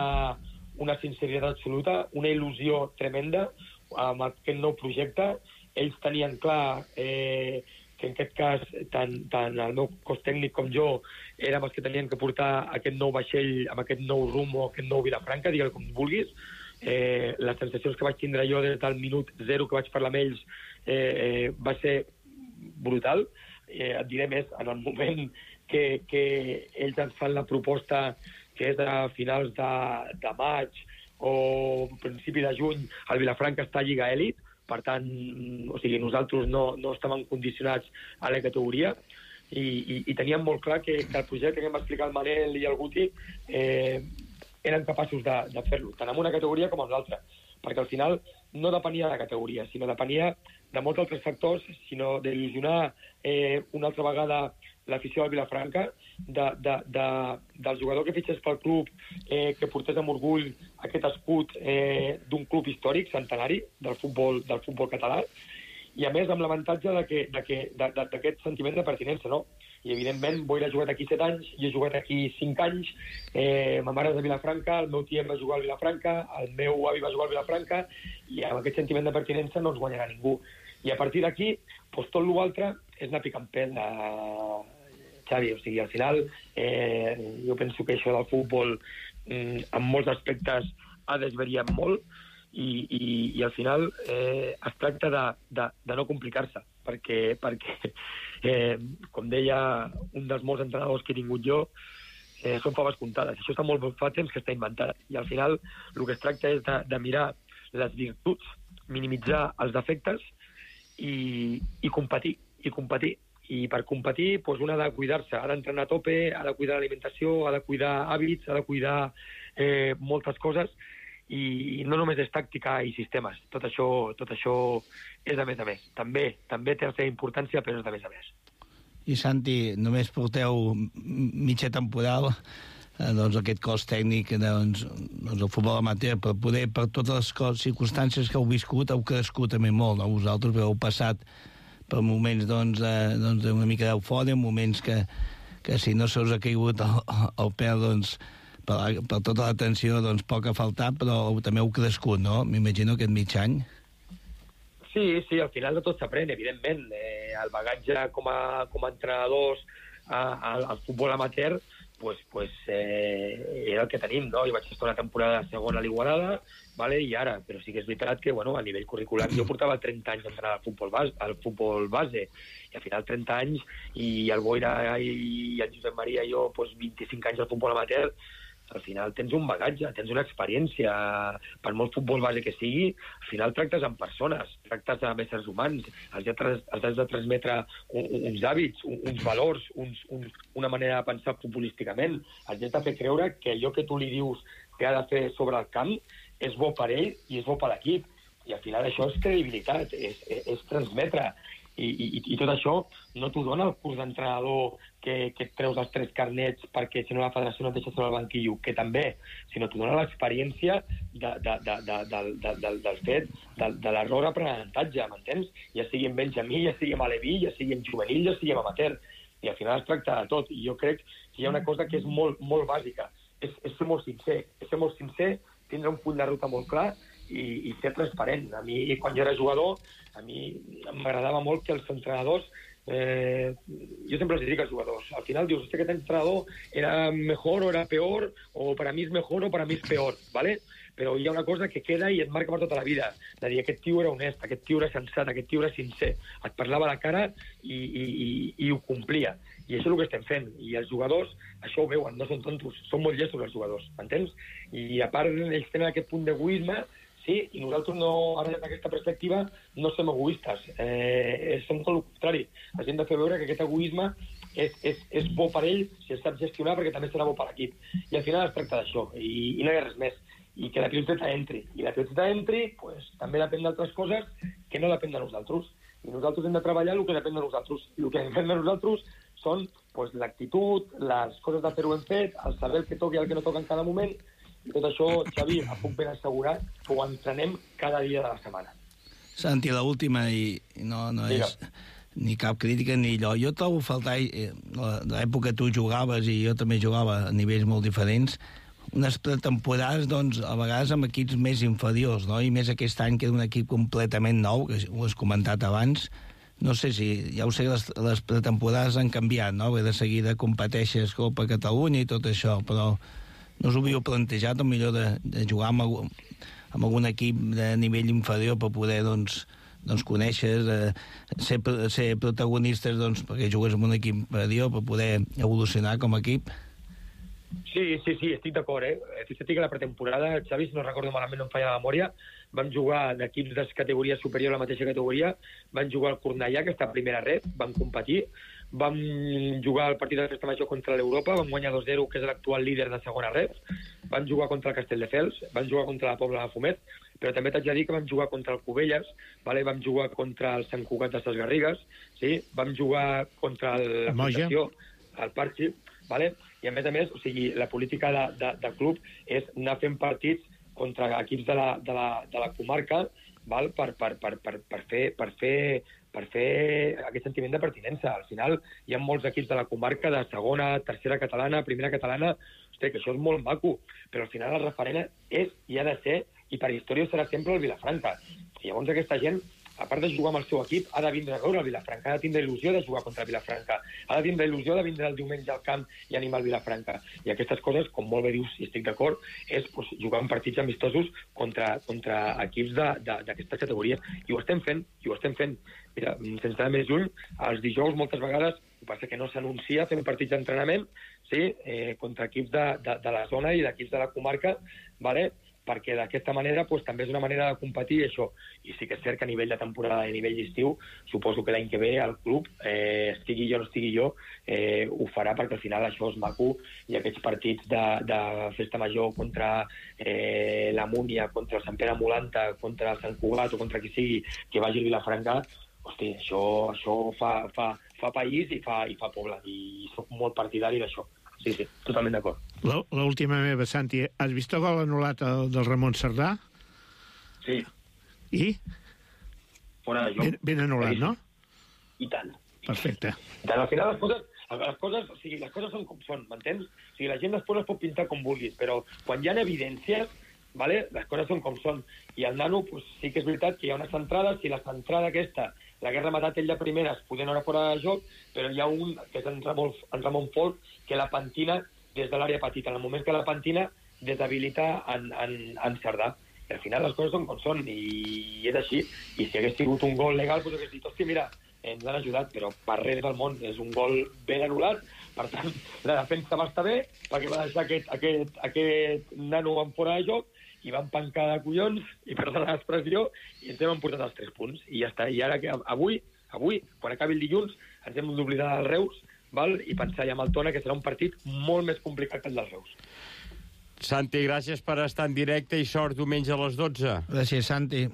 una sinceritat absoluta, una il·lusió tremenda amb aquest nou projecte. Ells tenien clar eh, que en aquest cas tant, tant el meu cos tècnic com jo érem els que tenien que portar aquest nou vaixell amb aquest nou rumb o aquest nou Vilafranca, digue-li com vulguis. Eh, les sensacions que vaig tindre jo des del minut zero que vaig parlar amb ells eh, eh, va ser brutal. Eh, et diré més, en el moment que, que ells ens fan la proposta que és a finals de, de maig o principi de juny, el Vilafranca està a Lliga Elit. Per tant, o sigui, nosaltres no, no estàvem condicionats a la categoria i, i, i teníem molt clar que, que el projecte que em va explicar el Manel i el Guti eh, eren capaços de, de fer-lo, tant en una categoria com en l'altra, perquè al final no depenia de la categoria, sinó depenia de molts altres factors, sinó d'il·lusionar eh, una altra vegada l'afició del Vilafranca, de, de, de, del jugador que fitxés pel club, eh, que portés amb orgull aquest escut eh, d'un club històric, centenari, del futbol, del futbol català, i a més amb l'avantatge d'aquest de que, de, de, de, sentiment de pertinença, no? I evidentment Boira ha jugat aquí set anys, jo he jugat aquí cinc anys, eh, ma mare és de Vilafranca, el meu tiet va jugar al Vilafranca, el meu avi va jugar al Vilafranca, i amb aquest sentiment de pertinença no ens guanyarà ningú. I a partir d'aquí, doncs, tot l'altre és anar picant pell, eh, Xavi. O sigui, al final, eh, jo penso que això del futbol, mm, en molts aspectes, ha desvariat molt, i, i, i al final eh, es tracta de, de, de no complicar-se, perquè, perquè eh, com deia un dels molts entrenadors que he tingut jo, eh, són faves comptades. Això està molt fa temps que està inventat, i al final el que es tracta és de, de mirar les virtuts, minimitzar els defectes i, i competir, i competir. I per competir, doncs, un ha de cuidar-se, ha d'entrenar a tope, ha de cuidar l'alimentació, ha de cuidar hàbits, ha de cuidar eh, moltes coses, i no només és tàctica i sistemes. Tot això, tot això és de més a més. També, també té la seva importància, però és de més a més. I Santi, només porteu mitja temporada, eh, doncs aquest cos tècnic doncs, doncs el futbol amateur, però poder per totes les coses, circumstàncies que heu viscut, heu crescut també molt, no? Vosaltres heu passat per moments doncs, eh, doncs una mica d'eufòria, moments que, que si no se us ha caigut el, el peu, doncs, per, per tota l'atenció, doncs, poc ha faltat, però també heu crescut, no? M'imagino aquest mig any. Sí, sí, al final de tot s'aprèn, evidentment. Eh, el bagatge com a, com a entrenadors a, al futbol amateur, pues, pues, eh, era el que tenim, no? Jo vaig estar una temporada segona a l'Igualada, vale? I ara, però sí que és veritat que, bueno, a nivell curricular, jo portava trenta anys d'entrenar al futbol base, al futbol base, i al final trenta anys, i el Boira i el Josep Maria i jo, pues, vint-i-cinc anys al futbol amateur, al final tens un bagatge, tens una experiència. Per molt futbol base que sigui, al final tractes amb persones, tractes amb éssers humans, els has de transmetre uns hàbits, uns valors, uns, uns, una manera de pensar futbolísticament. Els has de fer creure que allò que tu li dius que ha de fer sobre el camp és bo per ell i és bo per l'equip. I al final això és credibilitat, és, és, és transmetre. I, i, I tot això no t'ho dona el curs d'entrenador que, que et treus els tres carnets perquè si no la federació no et deixa sobre el banquillo, que també, sinó t'ho dona l'experiència de, de, de, de, de, de, de, del fet de, de l'error aprenentatge, m'entens? Ja sigui en Benjamí, ja sigui en Aleví, ja sigui en juvenil, ja sigui en amateur. I al final es tracta de tot. I jo crec que hi ha una cosa que és molt, molt bàsica. És, és ser molt sincer. És ser molt sincer, tindre un full de ruta molt clar i, i ser transparent. A mi, quan jo era jugador, a mi m'agradava molt que els entrenadors, eh, jo sempre els dic als jugadors, al final dius, este que aquest entrenador era mejor o era peor, o per a mi és mejor o per a mi és peor, ¿vale? Però hi ha una cosa que queda i et marca per tota la vida, de dir, aquest tio era honest, aquest tio era sensat, aquest tio era sincer, et parlava a la cara i, i, i, i ho complia. I això és el que estem fent. I els jugadors, això ho veuen, no són tontos, són molt llestos els jugadors, m'entens? I a part, ells tenen aquest punt d'egoisme, sí, i nosaltres, no, ara des d'aquesta perspectiva, no som egoistes. Eh, som tot el contrari. Els hem de fer veure que aquest egoisme és, és, és bo per ell, si el sap gestionar, perquè també serà bo per l'equip. I al final es tracta d'això, i, i no hi ha res més. I que la piloteta entri. I la piloteta entri, pues, també depèn d'altres coses que no depèn de nosaltres. I nosaltres hem de treballar el que depèn de nosaltres. I el que depèn de nosaltres són pues, l'actitud, les coses de fer-ho ben fet, el saber el que toca i el que no toca en cada moment. I tot això, Xavi, em puc ben assegurar que ho entrenem cada dia de la setmana. Santi, l'última, i no, no és ni cap crítica ni allò. Jo trobo faltar, eh, l'època que tu jugaves i jo també jugava a nivells molt diferents, unes pretemporades, doncs, a vegades amb equips més inferiors, no? I més aquest any que era un equip completament nou, que ho has comentat abans. No sé si, ja ho sé, les, les pretemporades han canviat, no? Ve de seguida competeixes Copa Catalunya i tot això, però no us ho havíeu plantejat, o millor, de, de jugar amb, algun, amb algun equip de nivell inferior per poder, doncs, doncs conèixer, eh, ser, ser protagonistes, doncs, perquè jugues amb un equip inferior per poder evolucionar com a equip? Sí, sí, sí, estic d'acord, eh? Fixa't que la pretemporada, Xavi, si no recordo malament, no em falla la memòria, vam jugar d'equips de categoria superior a la mateixa categoria, van jugar al Cornellà, que està a primera red, van competir, vam jugar el partit de festa major contra l'Europa, vam guanyar dos zero, que és l'actual líder de segona reps, vam jugar contra el Castelldefels, vam jugar contra la Pobla de Fumet, però també t'haig de dir que vam jugar contra el Cubelles, vale? Vam jugar contra el Sant Cugat de Ses Garrigues, sí? Vam jugar contra la Fundació, el Parchi, vale? I a més a més, o sigui, la política de, de, del club és anar fent partits contra equips de la, de la, de la comarca, val? Per, per, per, per, per, fer, per, fer, per fer aquest sentiment de pertinença. Al final hi ha molts equips de la comarca, de segona, tercera catalana, primera catalana, hosti, que això és molt maco, però al final el referent és i ha de ser, i per història serà sempre el Vilafranca. I llavors aquesta gent, a part de jugar amb el seu equip, ha de vindre a veure el Vilafranca, ha de tindre il·lusió de jugar contra el Vilafranca, ha de tindre il·lusió de vindre el diumenge al camp i animar el Vilafranca. I aquestes coses, com molt bé dius, i estic d'acord, és pues, jugar en partits amistosos contra, contra equips d'aquestes categories. I ho estem fent, i ho estem fent. Mira, sense anar més lluny, els dijous moltes vegades, el que passa que no s'anuncia fent partits d'entrenament, sí, eh, contra equips de, de, de la zona i d'equips de la comarca, vale? Perquè d'aquesta manera pues, també és una manera de competir això. I sí que és cert que a nivell de temporada i a nivell d'estiu, suposo que l'any que ve el club, eh, estigui jo o no estigui jo, eh, ho farà perquè al final això és maco i aquests partits de, de festa major contra eh, la Múnia, contra el Sant Pere Molanta, contra el Sant Cugat o contra qui sigui que vagi a Vilafranca, hosti, això, això fa, fa, fa país i fa, i fa poble. I soc molt partidari d'això. Sí, sí, totalment d'acord. L'última meva, Santi, has vist el gol anul·lat del Ramon Cerdà? Sí. I? Fora de joc. Ben, ben anul·lat, no? I tant. Perfecte. I tant, al final les coses, les coses, o sigui, les coses són com són, m'entens? O sigui, la gent després les pot pintar com vulguis, però quan hi ha evidències, vale, les coses són com són. I el nano, pues, sí que és veritat que hi ha una centrada, si la centrada aquesta l'hagués rematat ell de primeres, podent anar fora de joc, però hi ha un, que és en Ramon, en Ramon Folk, que la pentina des de l'àrea petita. En el moment que la pentina, deshabilita en, en, en Cerdà. I al final les coses són com són, i és així. I si hagués sigut un gol legal, doncs hagués dit, hòstia, mira, ens han ajudat, però per res del món. És un gol ben anul·lat, per tant, la defensa va estar bé, perquè va deixar aquest, aquest, aquest nano en fora de joc, i van pencar de collons, i perdona l'expressió, i ens hem emportat els tres punts. I ja està. I ara, que avui, avui, quan acabi el dilluns, ens hem d'oblidar del Reus, val? I pensar ja amb el Tona, que serà un partit molt més complicat que el del Reus. Santi, gràcies per estar en directe i sort diumenge a les dotze. Gràcies, Santi.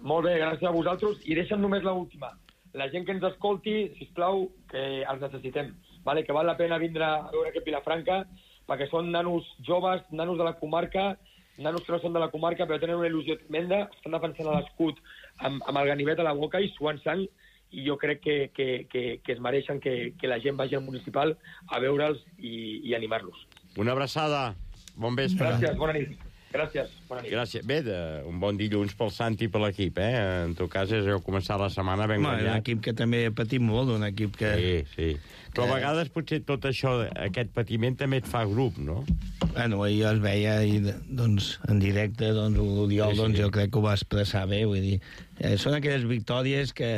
Molt bé, gràcies a vosaltres. I deixa'm només l'última. La gent que ens escolti, sisplau, que els necessitem. Vale? Que val la pena vindre a veure aquest Vilafranca, perquè són nanos joves, nanos de la comarca, nanos que no són de la comarca, però tenen una il·lusió tremenda, estan defensant l'escut amb, amb el ganivet a la boca i suant sang, i jo crec que, que, que, que es mereixen que, que la gent vagi al municipal a veure'ls i, i animar-los. Una abraçada. Bon vespre. Gràcies, bona nit. Gràcies, bona nit. Gràcies. Bé, de, un bon dilluns pel Santi i per l'equip, eh? En tot cas, és heu començat la setmana ben guanyat. Un equip que també ha patit molt, un equip que... Sí, sí. Però a vegades potser tot això, aquest patiment també et fa grup, no? Bueno, ahir es veia i, doncs, en directe, doncs, l'Oriol, sí, sí. doncs, jo crec que ho va expressar bé, vull dir, eh, són aquelles victòries que,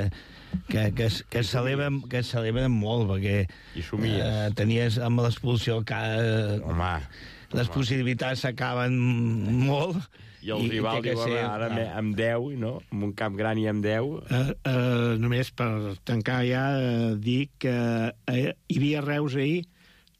que, que, es, que, es celebren, que es celebren molt, perquè eh, tenies amb l'expulsió que... Eh, home, les home. possibilitats s'acaben molt. I el i, rival diu, ser, ara no. amb deu, no? Amb un camp gran i amb deu. Uh, uh, només per tancar ja, uh, dir que uh, hi havia Reus ahir,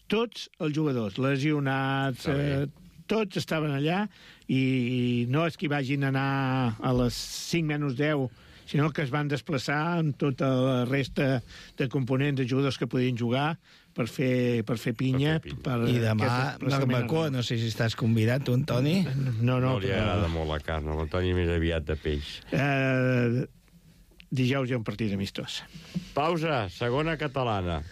tots els jugadors, lesionats, uh, tots estaven allà, i, i no és que hi vagin anar a les cinc menys deu, sinó que es van desplaçar amb tota la resta de components de jugadors que podien jugar per fer, per fer pinya. Per fer pinya. Per, I demà, barbacoa, no sé si estàs convidat, tu, Antoni? No, no. No li agrada molt la carn, l'Antoni més aviat de peix. Uh, dijous hi ha un partit amistós. Pausa, segona catalana.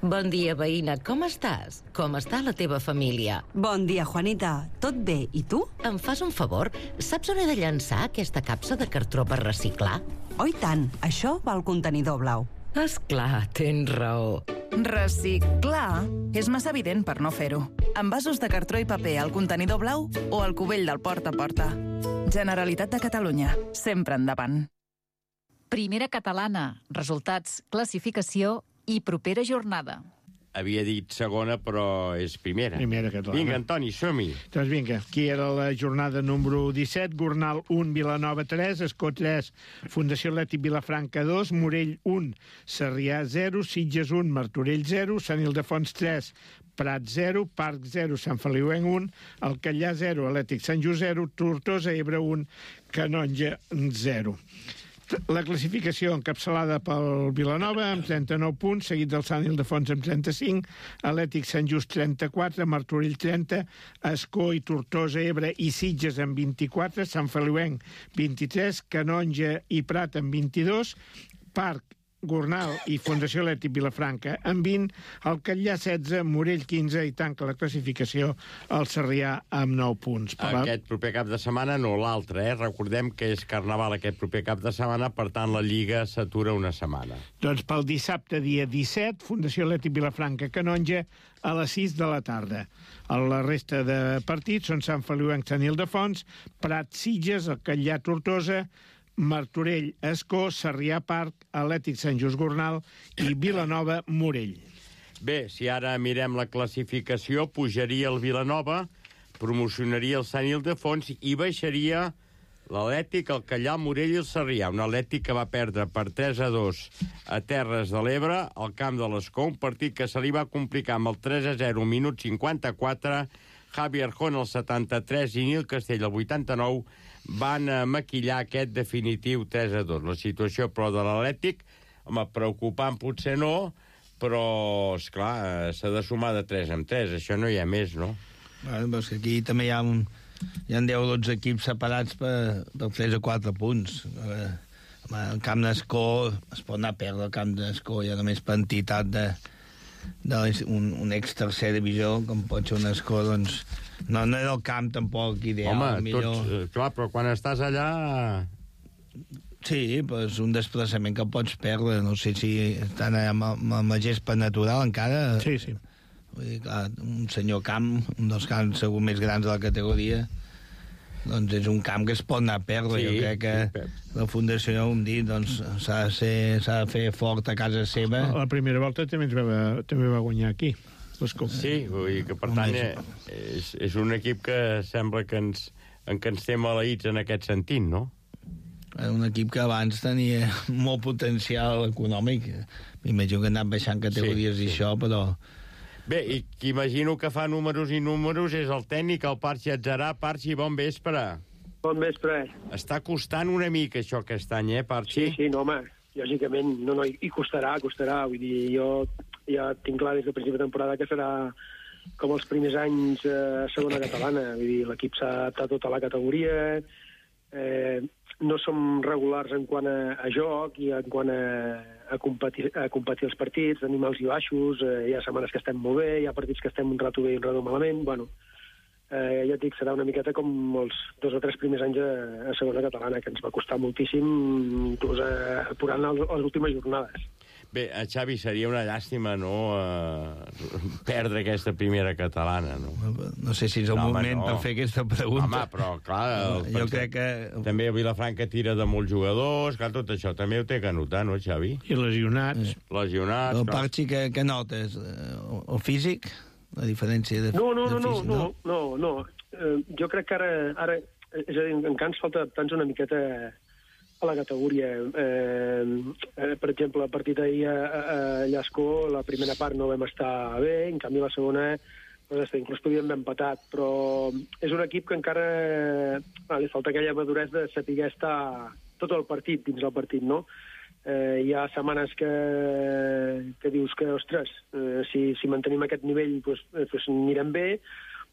Bon dia, veïna. Com estàs? Com està la teva família? Bon dia, Juanita. Tot bé. I tu? Em fas un favor? Saps on he de llançar aquesta capsa de cartró per reciclar? Oh, i tant. Això va al contenidor blau. Esclar, tens raó. Reciclar és massa evident per no fer-ho. Envasos de cartró i paper al contenidor blau o al cubell del porta a porta. Generalitat de Catalunya. Sempre endavant. Primera catalana. Resultats, classificació i propera jornada. Havia dit segona, però és primera. Primera catalana. Vinga, Antoni, som-hi. Doncs vinga, aquí era la jornada número disset, Gornal un, Vilanova tres, Escó tres, Fundació Atlètic Vilafranca dos, Morell un, Sarrià zero, Sitges un, Martorell zero, Sant Ildefons tres, Prat zero, Parc zero, Sant Feliuenc un, Alcallà zero, Atlètic Sant Just zero, Tortosa Ebre un, Canonja zero. La classificació encapçalada pel Vilanova amb trenta-nou punts, seguit del Sant Ildefons amb trenta-cinc, Atlètic Sant Just trenta-quatre, Martorell trenta, Escó i Tortosa, Ebre i Sitges amb vint-i-quatre, Sant Feliuenc vint-i-tres, Canonja i Prat amb vint-i-dos, Parc, Gornal i Fundació Atlètic Vilafranca amb vint, Alcallà setze, Morell quinze i tanca la classificació el Sarrià amb nou punts. Per aquest proper cap de setmana, no l'altre, eh? Recordem que és Carnaval aquest proper cap de setmana, per tant la Lliga s'atura una setmana. Doncs pel dissabte, dia disset, Fundació Atlètic Vilafranca Canonja a les sis de la tarda. La resta de partits són Sant Feliuenc, Sant Ildefons, Prat, Sitges, Alcallà, Tortosa, Martorell, Escó, Sarrià, Parc, Atlètic Sant Just Gornal i Vilanova, Morell. Bé, si ara mirem la classificació, pujaria el Vilanova, promocionaria el Sant Ildefons i baixaria l'Atlètic, el Alcallà, el Morell i el Sarrià. Un Atlètic que va perdre per tres a dos a Terres de l'Ebre, al camp de l'Escó, un partit que se li va complicar amb el tres a zero, minut cinquanta-quatre, Javi Arjona al setanta-tres i Nil Castell al vuitanta-nou, van maquillar aquest definitiu tres a dos. La situació, però, de l'Atlètic, home, preocupant potser no, però, esclar, s'ha de sumar de tres en tres. Això no hi ha més, no? Bueno, però és que aquí també hi ha, un, hi ha deu o dotze equips separats per, per tres o quatre punts. Home, el camp d'Escó es pot anar a perdre, el camp d'Escó ja només per entitat de, de un, un ex-tercer divisió, com pot ser un Escó, doncs... No, no era el camp tampoc ideal. Home, millor... tots, clar, però quan estàs allà... Sí, però és un desplaçament que pots perdre. No sé si estan amb, amb la gespa natural encara... Sí, sí. Vull dir, clar, un senyor camp, un dels camps segur més grans de la categoria, doncs és un camp que es pot anar a perdre. Sí, jo crec que sí, la Fundació, ja ho hem dit, doncs s'ha de, ser, s'ha de fer fort a casa seva. La primera volta també, ens va, també va guanyar aquí. Sí, vull dir que, per tant, és, és un equip que sembla que ens, en que ens té maleïts en aquest sentit, no? Un equip que abans tenia molt potencial econòmic. M'imagino que han anat baixant categories sí, sí. i això, però... Bé, i qui imagino que fa números i números és el tècnic, el Parxi Atzarà. Parxi, bon vespre. Bon vespre. Està costant una mica això aquest any, eh, Parxi? Sí, sí, no, home, lògicament, no, no, i costarà, costarà. Vull dir, jo ja tinc clar des del principi de temporada que serà com els primers anys a eh, segona catalana. Vull dir, l'equip s'ha adaptat a tota la categoria, eh, no som regulars en quant a, a joc i en quant a, a, competir, a competir els partits, tenim alts i baixos, eh, hi ha setmanes que estem molt bé, hi ha partits que estem un rato bé i un rato malament, bueno, eh, ja et dic, serà una miqueta com els dos o tres primers anys a, a segona catalana, que ens va costar moltíssim, inclús a, apurant les, les últimes jornades. Bé, a Xavi, seria una llàstima, no?, uh, perdre aquesta primera catalana, no? No sé si és el no, moment home, no. per fer aquesta pregunta. Home, però, clar... El, jo pensat, crec que... També Vilafranca tira de molts jugadors, clar, tot això també ho té que notar, no, Xavi? I lesionats. Eh. Lesionats, el Parxi, que, que notes? El físic? La diferència de, no, no, de no, físic, no, no, no, no. Uh, jo crec que ara, ara... És a dir, encara ens falta adaptar-nos una miqueta a la categoria. Eh, eh, per exemple, el partit ahir a, a Llascó, la primera part no vam estar bé, en canvi la segona doncs, inclús podíem haver empatat, però és un equip que encara ah, li falta aquella maduresa de saber estar tot el partit dins del partit, no? Eh, hi ha setmanes que, que dius que, ostres, eh, si, si mantenim aquest nivell doncs, doncs anirem bé,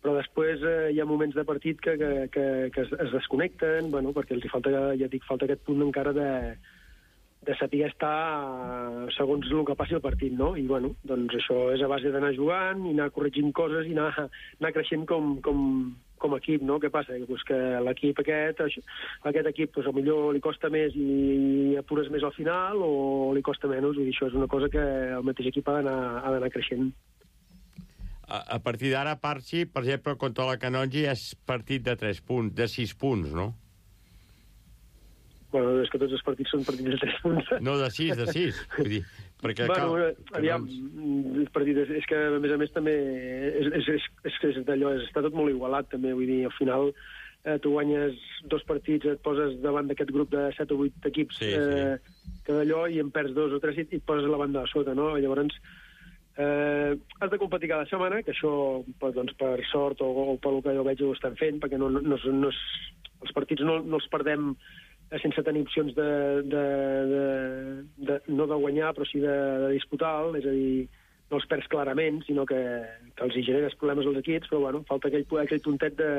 però després eh, hi ha moments de partit que, que, que, que es, es desconnecten, bueno, perquè els hi falta, ja dic, falta aquest punt encara de, de saber estar segons el que passi el partit, no? I, bueno, doncs això és a base d'anar jugant i anar corregint coses i anar, anar creixent com, com, com a equip, no? Què passa? Pues que l'equip aquest, aquest equip, pues, millor li costa més i apures més al final o li costa menys, i això és una cosa que el mateix equip ha d'anar creixent. A, a partir d'ara, Parxi, per exemple, contra la Canonja és partit de tres punts, de sis punts, no? Bueno, és que tots els partits són partits de tres punts. No, de sis, de sis. Vull dir, Perquè bueno, cal... aviam, no... partit, és, és que a més a més també és, és, és, és, és d'allò, és, està tot molt igualat també, vull dir, al final eh, tu guanyes dos partits, et poses davant d'aquest grup de set o vuit equips sí, eh, sí. que d'allò i en perds dos o tres i et poses la banda de sota, no? Llavors eh, has de competir cada setmana, que això doncs, per sort o, o pel que jo veig ho estan fent, perquè no, no, no, no és, els partits no, no els perdem sense tenir opcions de, de, de, de, no de guanyar, però sí de, de disputar, és a dir, no els perds clarament, sinó que, que els hi generes problemes als equips, però bueno, falta aquell, aquell puntet de,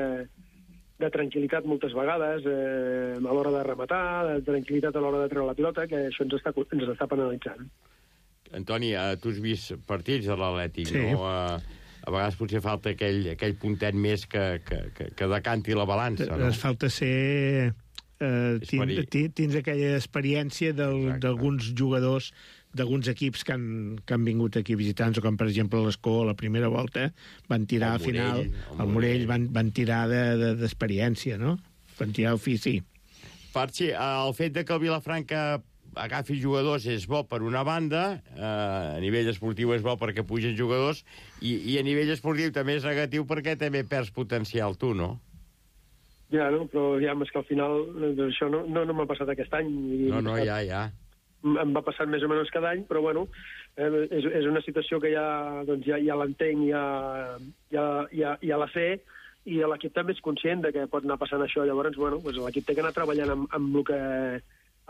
de tranquil·litat moltes vegades, eh, a l'hora de rematar, de tranquil·litat a l'hora de treure la pilota, que això ens està, ens està penalitzant. Antoni, tu has vist partits de l'Atlètic, sí. no? A, a vegades potser falta aquell, aquell puntet més que, que, que, que decanti la balança, no? Es falta ser... Uh, tins, tins aquella experiència d'alguns jugadors d'alguns equips que han, que han vingut aquí visitants, o com per exemple l'Escó a la primera volta van tirar al final, el Morell van, van tirar d'experiència, de, de, no? Van tirar ofici. Parchi, el fet de que el Vilafranca agafi jugadors és bo per una banda, eh, a nivell esportiu és bo perquè pugen jugadors, i, i a nivell esportiu també és negatiu perquè també perds potencial tu, no? Ja, no? Però ja, és que al final doncs, això no, no, no m'ha passat aquest any. No, no, ja, ja. Em va passant més o menys cada any, però bueno, eh, és, és una situació que ja, doncs, ja, ja l'entenc, ja, ja, ja, ja la sé, i l'equip també és conscient de que pot anar passant això. Llavors, bueno, doncs l'equip té que anar treballant amb, amb, el que,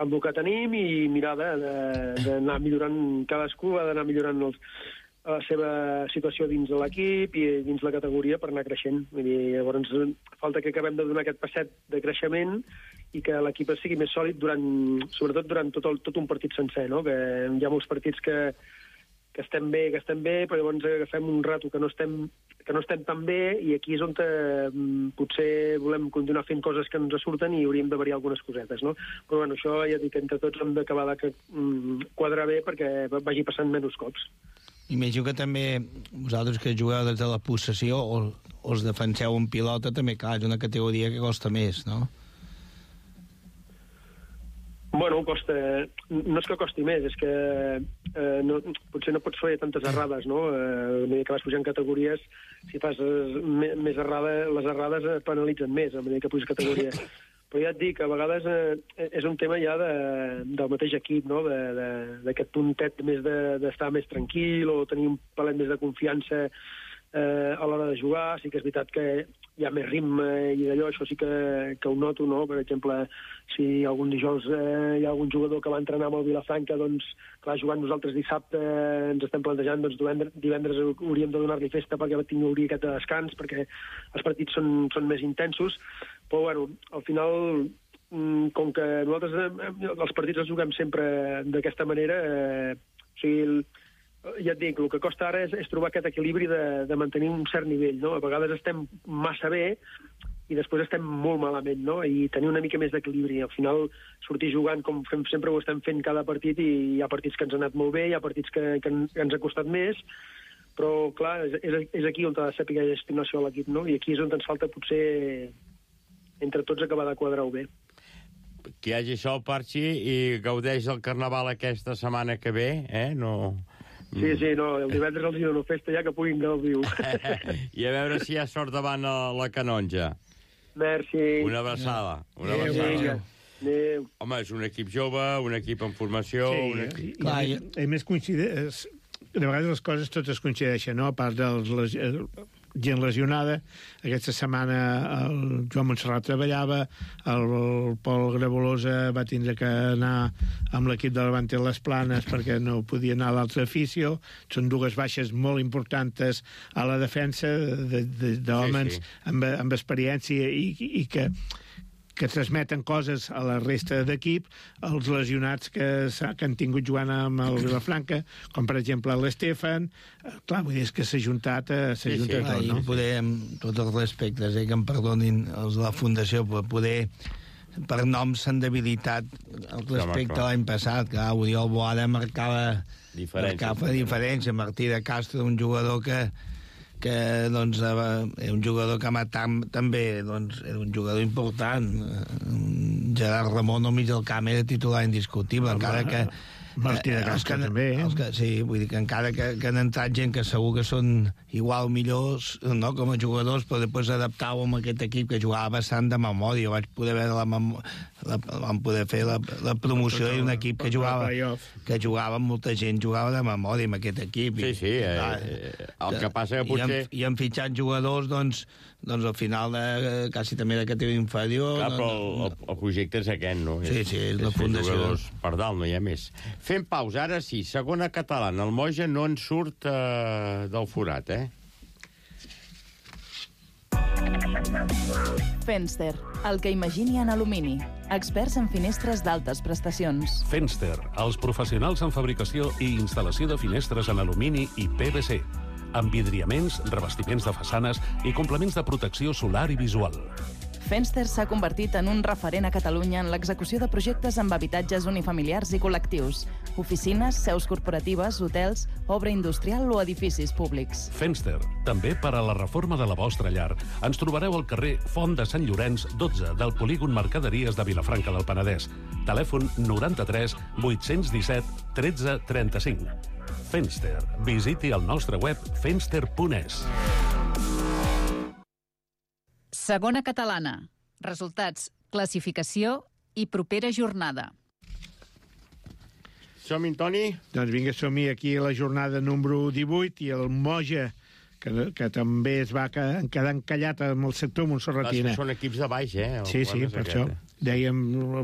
amb el que tenim i mirar d'anar millorant, cadascú ha d'anar millorant els, la seva situació dins de l'equip i dins la categoria per anar creixent. Vull dir, llavors falta que acabem de donar aquest passet de creixement i que l'equip sigui més sòlid durant, sobretot durant tot, el, tot un partit sencer, no? Que hi ha molts partits que, que estem bé, que estem bé, però llavors agafem un rato que no estem, que no estem tan bé, i aquí és on eh, potser volem continuar fent coses que ens surten i hauríem de variar algunes cosetes, no? Però bueno, això ja dic que entre tots hem d'acabar de mm, quadrar bé perquè vagi passant menys cops. Imagino que també vosaltres que jugueu des de la possessió o, o els defenseu en pilota, també, clar, és una categoria que costa més, no? Bueno, costa... No és que costi més, és que eh, no, potser no pots fer tantes errades, no? Eh, a mesura que vas pujant categories, si fas eh, més errada, les errades penalitzen més a mesura que puges categories. Però ja et dic, a vegades eh, és un tema ja de, del mateix equip, no? D'aquest puntet més d'estar de, més tranquil o tenir un palet més de confiança eh, a l'hora de jugar. Sí que és veritat que hi ha més ritme i d'allò, això sí que, que ho noto, no? Per exemple, si algun dijous eh, hi ha algun jugador que va entrenar amb el Vilafranca, doncs, clar, jugant nosaltres dissabte eh, ens estem plantejant, doncs, divendres, divendres hauríem de donar-li festa perquè tingui aquest descans, perquè els partits són, són més intensos. Però, bueno, al final, com que nosaltres els partits els juguem sempre d'aquesta manera, eh, o sigui, ja et dic, el que costa ara és, és trobar aquest equilibri de, de mantenir un cert nivell, no? A vegades estem massa bé i després estem molt malament, no? I tenir una mica més d'equilibri. Al final, sortir jugant com fem, sempre ho estem fent cada partit, i hi ha partits que ens han anat molt bé, hi ha partits que, que, que ens ha costat més, però, clar, és, és aquí on ha de saber gestionar-se l'equip, no? I aquí és on ens falta, potser, entre tots, acabar de quadrar-ho bé. Que hi hagi això, Parchi, i gaudeix del Carnaval aquesta setmana que ve, eh? No... Sí, sí, no, el divendres els hi dono festa ja que puguin gaudir. I a veure si hi ha sort davant la, la canonja. Merci. Una abraçada. Una Adéu, abraçada. Adéu. Home, és un equip jove, un equip en formació... Sí, un equip... clar, i, a més coincideix... De vegades les coses totes coincideixen, no? A part de les, gent lesionada, aquesta setmana el Joan Montserrat treballava, el, el Pol Gravolosa va tindre que anar amb l'equip de Levante a les Planes perquè no podia anar a l'altre afició. Són dues baixes molt importants a la defensa d'homes sí, sí. amb, amb experiència i, i que que transmeten coses a la resta d'equip, els lesionats que, que han tingut jugant amb el Vilafranca, com per exemple l'Estefan. Clar, vull dir, és que s'ha juntat, s'ha sí, juntat sí, tot, no? I poder, amb tots els respectes, eh, que em perdonin els de la Fundació, poder per noms s'han debilitat el respecte a l'any passat, que Oriol Boada marcava diferència, marcava diferència. Martí de Castro, un jugador que que doncs, era un jugador que matam, també doncs, era un jugador important. Gerard Ramon al mig del camp era titular indiscutible, encara que Martí de Casca eh, també, eh? Que, sí, vull dir que encara que, que han entrat gent que segur que són igual millors, no?, com a jugadors, però després adaptàvem a aquest equip que jugava bastant de memòria. Vaig poder veure la, mem... la vam poder fer la, la promoció d'un equip que jugava que jugava amb molta gent, jugava de memòria amb aquest equip. Sí, sí, eh, eh, el que passa que potser... I han, i han fitxat jugadors, doncs, doncs al final de, quasi també de categoria inferior. Clar, però el, el, el projecte és aquest, no? Sí, sí, és la fundació. Per dalt, no hi ha més. Fem pausa, ara sí, segona catalana. El Moja no en surt eh, del forat, eh? Fenster, el que imagini en alumini. Experts en finestres d'altes prestacions. Fenster, els professionals en fabricació i instal·lació de finestres en alumini i P V C. Envidriaments, revestiments de façanes i complements de protecció solar i visual. Fenster s'ha convertit en un referent a Catalunya en l'execució de projectes amb habitatges unifamiliars i col·lectius, oficines, seus corporatives, hotels, obra industrial o edificis públics. Fenster, també per a la reforma de la vostra llar. Ens trobareu al carrer Font de Sant Llorenç, dotze, del polígon Mercaderies de Vilafranca del Penedès. Telèfon noranta-tres vuit-cents disset tretze trenta-cinc. Fenster. Visiti el nostre web fenster punt es. Segona catalana. Resultats, classificació i propera jornada. Som-hi, Toni? Doncs vinga, som-hi aquí a la jornada número divuit i el Moja, que, que també es va quedar encallat amb el sector montserratina. Són equips de baix, eh? Sí, sí, per això. Dèiem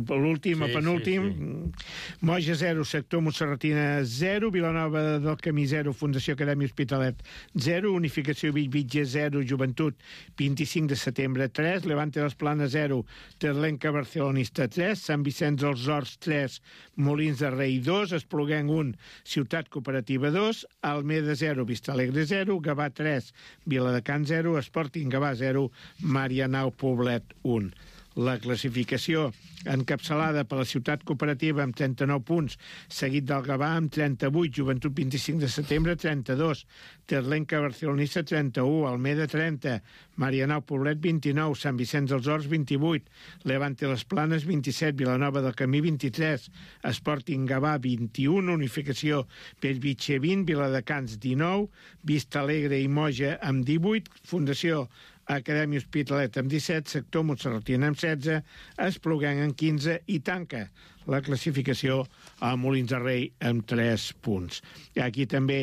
l'últim, el penúltim. Sí, sí. Moja zero, sector montserratina zero, Vilanova del Camí zero, Fundació Acadèmia Hospitalet zero, Unificació Bellvitge zero, Joventut vint-i-cinc de setembre tres, Levante les Planes zero, Terlenca Barcelonista tres, Sant Vicenç dels Horts tres, Molins de Rei dos, Espluguenc un, Ciutat Cooperativa dos, Almeda zero, Vistalegre zero, Gavà tres, Viladecans zero, Sporting Gavà zero, Marianao Poblet un. La classificació encapçalada per la Ciutat Cooperativa amb trenta-nou punts, seguit del Gavà amb trenta-vuit, Joventut vint-i-cinc de setembre trenta-dos, Terlenca Barcelonista trenta-u, Almeda trenta, Marianao Poblet vint-i-nou, Sant Vicenç dels Horts vint-i-vuit, Levante les Planes vint-i-set, Vilanova del Camí vint-i-tres, Sporting Gavà vint-i-un, Unificació Bellvitge vint, Viladecans dinou, Vista Alegre i Moja amb divuit, Fundació Acadèmia Hospitalet amb disset, Sector Montserratina amb setze, Espluguenc amb quinze i tanca la classificació a Molins de Rei amb tres punts. Aquí també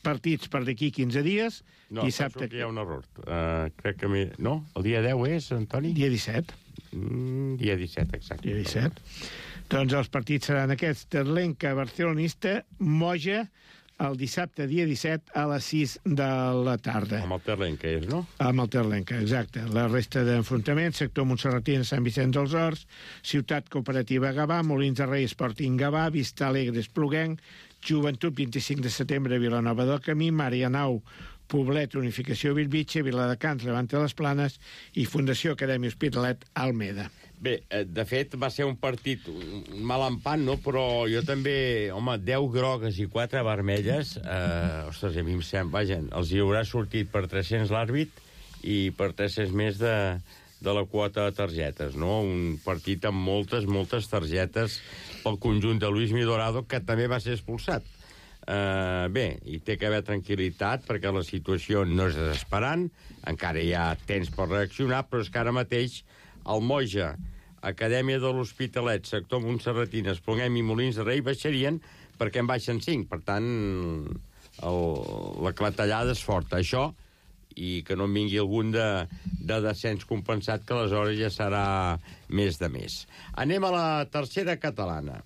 partits per d'aquí quinze dies. No, dissabte... penso que hi ha un error. Uh, crec que... Mi... No? El dia deu és, Antoni? Dia disset. Mm, dia disset, exacte. Dia disset. Doncs els partits seran aquests. Terlenca, Barcelonista, Moja, el dissabte, dia disset, a les sis de la tarda. Amb el Terlenca és, no? Amb el Terlenca, exacte. La resta d'enfrontaments, sector Montserratina, Sant Vicenç dels Horts, Ciutat Cooperativa Gavà, Molins de Rei, Sporting Gavà, Vista Alegre, Espluguenc, Joventut, vint-i-cinc de setembre, Vilanova del Camí, Marianao, Poblet, Unificació Bellvitge, Viladecans, Levante les Planes i Fundació Acadèmia Hospitalet, Almeda. Bé, de fet, va ser un partit un mal empat, no? Però jo també, home, deu grogues i quatre vermelles, eh, ostres, a mi em sembla, vaja, els hi haurà sortit per tres-cents l'àrbit i per tres-cents més de, de la quota de targetes, no? Un partit amb moltes, moltes targetes pel conjunt de Luis Midorado, que també va ser expulsat. Uh, bé, hi té que haver tranquil·litat perquè la situació no és desesperant, encara hi ha temps per reaccionar, però és que ara mateix el Moja, Acadèmia de l'Hospitalet, sector Montserratina, Espluguenc i Molins de Rei baixarien perquè en baixen cinc, per tant el, la clatellada és forta, això, i que no en vingui algun de, de descens compensat, que aleshores ja serà més de més. Anem a la tercera catalana.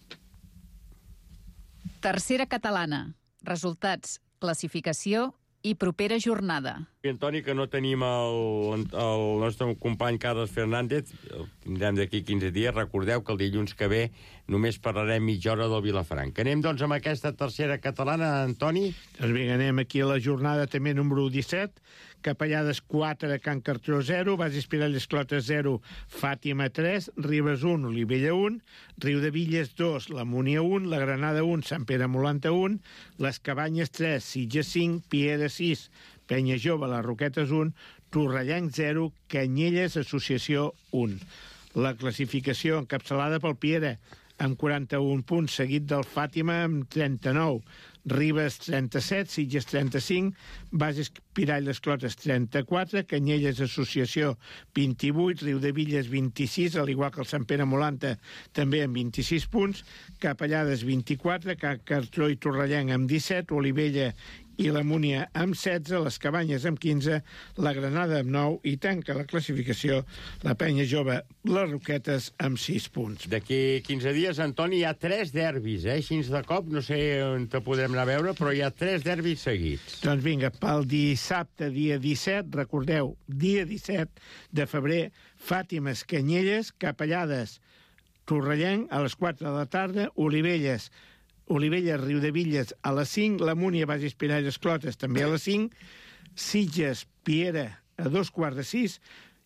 Tercera catalana. Resultats, classificació i propera jornada. I, Antoni, que no tenim el, el nostre company Carles Fernández, el tindrem d'aquí quinze dies. Recordeu que el dilluns que ve només parlarem mitja hora del Vilafranca. Anem, doncs, amb aquesta tercera catalana, Antoni? Doncs vinga, anem aquí a la jornada també número disset. Capellades quatre, Can Cartró zero, Base Espiralles Clotes zero, Fàtima tres, Ribes un, Olivella un, Riu de Villes dos, La Múnia un, La Granada un, Sant Pere Molanta un, Les Cabanyes tres, Sitges cinc, Piera sis, Penya Jove, Les Roquetes un, Torrellenc zero, Canyelles Associació un. La classificació encapçalada pel Piera, amb quaranta-un punts, seguit del Fàtima amb trenta-nou, Ribes trenta-set, Sitges trenta-cinc, Bages Pirall les Clotes trenta-quatre, Canyelles Associació vint-i-vuit, Riudevilles vint-i-sis, al igual que el Sant Pere Molanta també amb vint-i-sis punts, Capellades vint-i-quatre, Can Cartró i Torrellenc amb disset, Olivella i la Múnia amb setze, les Cabanyes amb quinze, la Granada amb nou i tanca la classificació la Penya Jove, les Roquetes amb sis punts. D'aquí quinze dies, Antoni, hi ha tres derbis, eh? Així de cop, no sé on te podrem anar a veure, però hi ha tres derbis seguits. Doncs vinga, pel dissabte, dia disset, recordeu, dia disset de febrer, Fàtimes, Canyelles, Capellades, Torrellenc, a les quatre de la tarda, Olivelles, Olivella, Riudevilles a les cinc, la Múnia, Bages Pirall, Esclotes també a les cinc, Sitges, Piera a dos quarts de sis,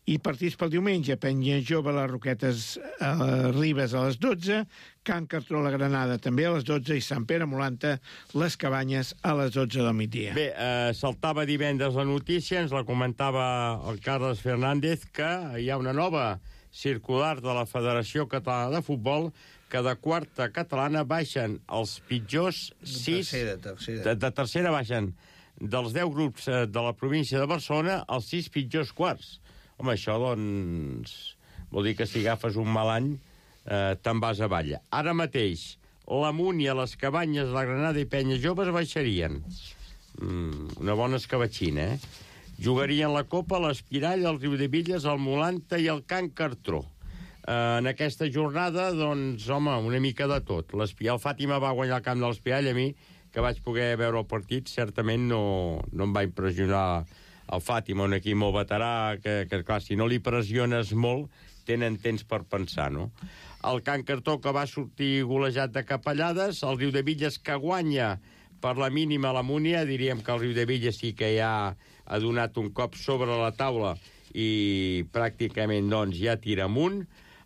i partits pel diumenge, Penya Jove, les Roquetes, a Ribes a les dotze, Can Cartró, la Granada també a les dotze i Sant Pere Molanta, les Cabanyes a les dotze del migdia. Bé, eh, saltava divendres la notícia, ens la comentava el Carles Fernández, que hi ha una nova circular de la Federació Catalana de Futbol que de quarta catalana baixen els pitjors sis... Tercera, tercera. De, de tercera baixen dels deu grups de la província de Barcelona els sis pitjors quarts. Home, això, doncs, vol dir que si agafes un mal any eh, te'n vas avall. Ara mateix, la Múnia, les Cabanyes, la Granada i Penya Joves baixarien. Mm, una bona escabatxina, eh? Jugarien la Copa, l'Espirall, el Riudevilles, el Molanta i el Can Cartró. Uh, en aquesta jornada, doncs, home, una mica de tot. El Fàtima va guanyar el camp de l'Espirall, a mi, que vaig poder veure el partit, certament no, no em va impressionar el Fàtima, un equip molt veterà, que, que clar, si no li pressiones molt, tenen temps per pensar, no? El Can Cartró, que va sortir golejat de Capellades, el Riudevilles, que guanya per la mínima la Múnia, diríem que el Riudevilles sí que ja ha donat un cop sobre la taula i pràcticament, doncs, ja tira amunt.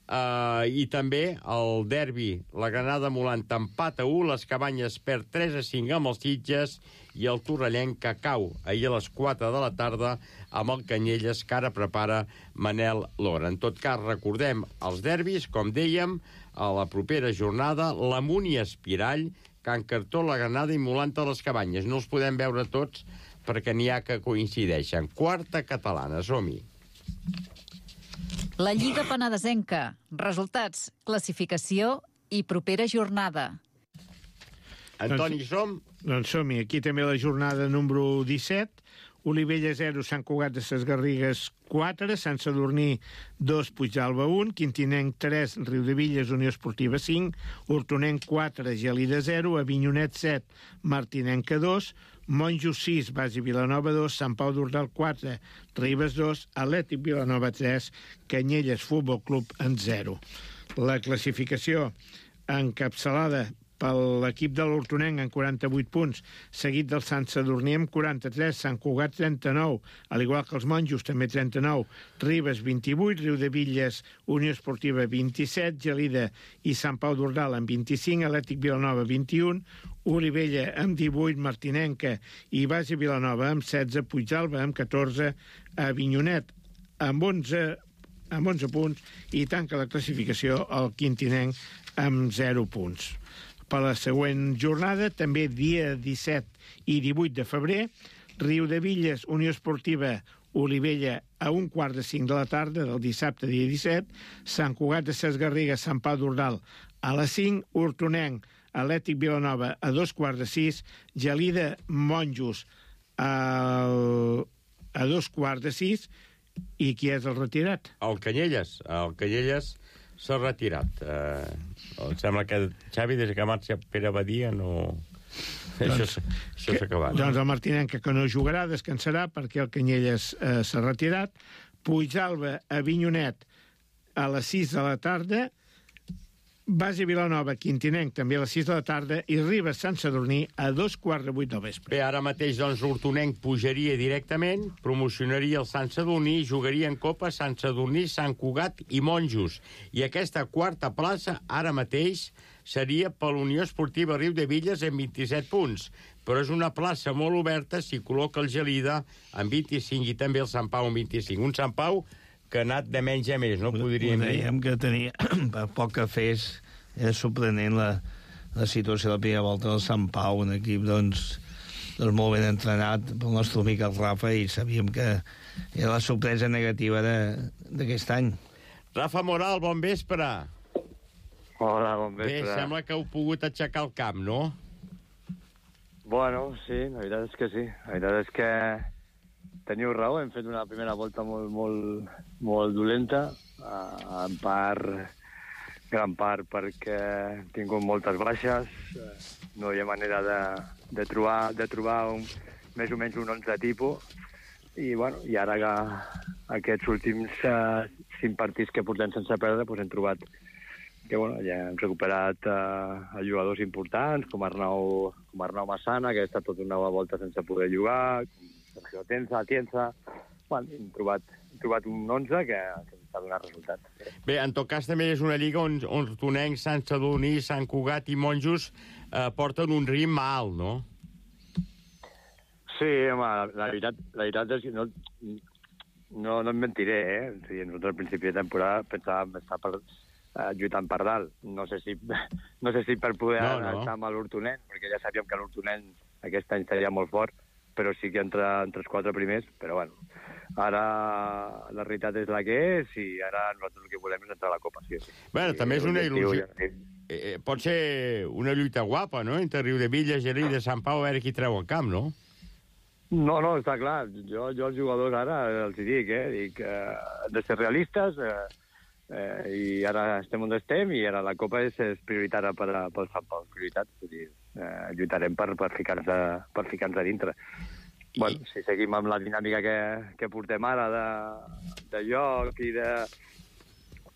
Uh, i també el derbi, la Granada Molanta empat a u, les Cabanyes perd tres a cinc amb els Sitges i el Torrellenc que cau ahir a les quatre de la tarda amb el Canyelles, que ara prepara Manel Lora. En tot cas, recordem els derbis, com dèiem, a la propera jornada, la Múnia Espirall, Can Cartró, la Granada i Molanta les Cabanyes. No els podem veure tots perquè n'hi ha que coincideixen. Quarta catalana, som-hi. La Lliga Penedesenca. Resultats, classificació i propera jornada. Antoni, som? Doncs som-hi. Aquí també la jornada número disset. Olivella zero, Sant Cugat de ses Garrigues quatre, Sant Sadurní dos, Puigdàlber un, Quintinenc tres, Riudevilles, Unió Esportiva cinc, Hortonenc quatre, Gelida zero, Avinyonet set, Martinenca dos, Monjos sis, Basi Vilanova dos, Sant Pau d'Ordal quatre, Ribes dos, Atlètic Vilanova tres, Canyelles Futbol Club en zero. La classificació encapçalada per l'equip de l'Hortonenc en quaranta-vuit punts, seguit del Sant Sadurní amb quaranta-tres, Sant Cugat trenta-nou, al igual que els Monjos també trenta-nou, Ribes vint-i-vuit, Riudevilles, Unió Esportiva vint-i-set, Gelida i Sant Pau d'Ordal amb vint-i-cinc, Atlètic Vilanova vint-i-un, Olivella amb divuit, Martinenca i Basi Vilanova amb setze, Puigdàlber amb catorze, Avinyonet amb onze, amb onze punts i tanca la classificació el Quintinenc amb zero punts. Per la següent jornada, també dia disset i divuit de febrer, Riudevilles, Unió Esportiva, Olivella a un quart de cinc de la tarda del dissabte, dia disset, Sant Cugat de ses Garrigues, Sant Pau d'Ordal a les cinc, Hortonenc, Atlètic Vilanova a dos quarts de sis, Gelida, Monjos a, a dos quarts de sis, i qui és el retirat? El Canyelles. El Canyelles s'ha retirat. Eh, em sembla que Xavi, des que marxa Pere Badia, no... Doncs, això s'ha acabat. Doncs el Martinenca, que no jugarà, descansarà perquè el Canyelles eh, s'ha retirat. Puigdàlber, Avinyonet a les sis de la tarda, Basi Vilanova, Quintinenc, també a les sis de la tarda, i Ribes, Sant Sadurní, a dos quarts de vuit del vespre. Bé, ara mateix, doncs, l'Hortonenc pujaria directament, promocionaria el Sant Sadurní, jugaria en Copa Sant Sadurní, Sant Cugat i Monjos. I aquesta quarta plaça, ara mateix, seria per l'Unió Esportiva Riudevilles amb vint-i-set punts. Però és una plaça molt oberta si col·loca el Gelida amb vint-i-cinc i també el Sant Pau amb vint-i-cinc. Un Sant Pau que ha anat de menys a més, no podríem dir. Dèiem que tenia, per poc que fes, era sorprenent la, la situació de la primera volta del Sant Pau, un equip, doncs, doncs molt ben entrenat pel nostre amic el Rafa, i sabíem que era la sorpresa negativa d'aquest any. Rafa Moral, bon vespre. Hola, bon vespre. Bé, sembla que heu pogut aixecar el camp, no? Bueno, sí, la veritat és que sí. La veritat és que teniu raó, hem fet una primera volta molt, molt, molt dolenta, en part, gran part perquè hem tingut moltes baixes, no hi ha manera de, de trobar, de trobar un, més o menys un onze tipus, i, bueno, i ara que aquests últims uh, cinc partits que portem sense perdre, doncs hem trobat que, bueno, ja hem recuperat uh, jugadors importants, com Arnau, com Arnau Massana, que ha estat tota una volta sense poder jugar, com Sergio Tenza, Tienza. Bueno, hem trobat, hem trobat un onze que, que ens ha donat resultat. Bé, en tot cas també és una lliga on, on Hortonencs, Sant Sadurní, Sant Cugat i Monjos eh, porten un ritme alt, no? Sí, home, la, la, veritat, la veritat és que no, no, no em mentiré, eh? O sigui, nosaltres al principi de temporada pensàvem estar per, eh, lluitant per dalt. No sé si, no sé si per poder no, no. estar amb l'Hortonenc, perquè ja sabíem que l'Hortonenc aquest any seria molt fort, però sí que entre, entre els quatre primers, però bueno, ara la realitat és la que és i ara nosaltres el que volem és entrar a la Copa. Sí, sí. Bueno, I, també és una il·lusió. Ja, eh, pot ser una lluita guapa, no?, entre Riudebitlles, Gelí i de Sant Pau, a veure qui treu el camp, no? No, no, està clar. Jo, jo als jugadors ara els dic, eh, dic, eh, de ser realistes, eh, eh, i ara estem on estem, i ara la Copa és, és prioritària per, pel Sant Pau, prioritat. Vull dir, eh, lluitarem per, per ficar-nos a, per ficar-nos a dintre. Bueno, si seguim amb la dinàmica que, que portem ara de, de joc i de,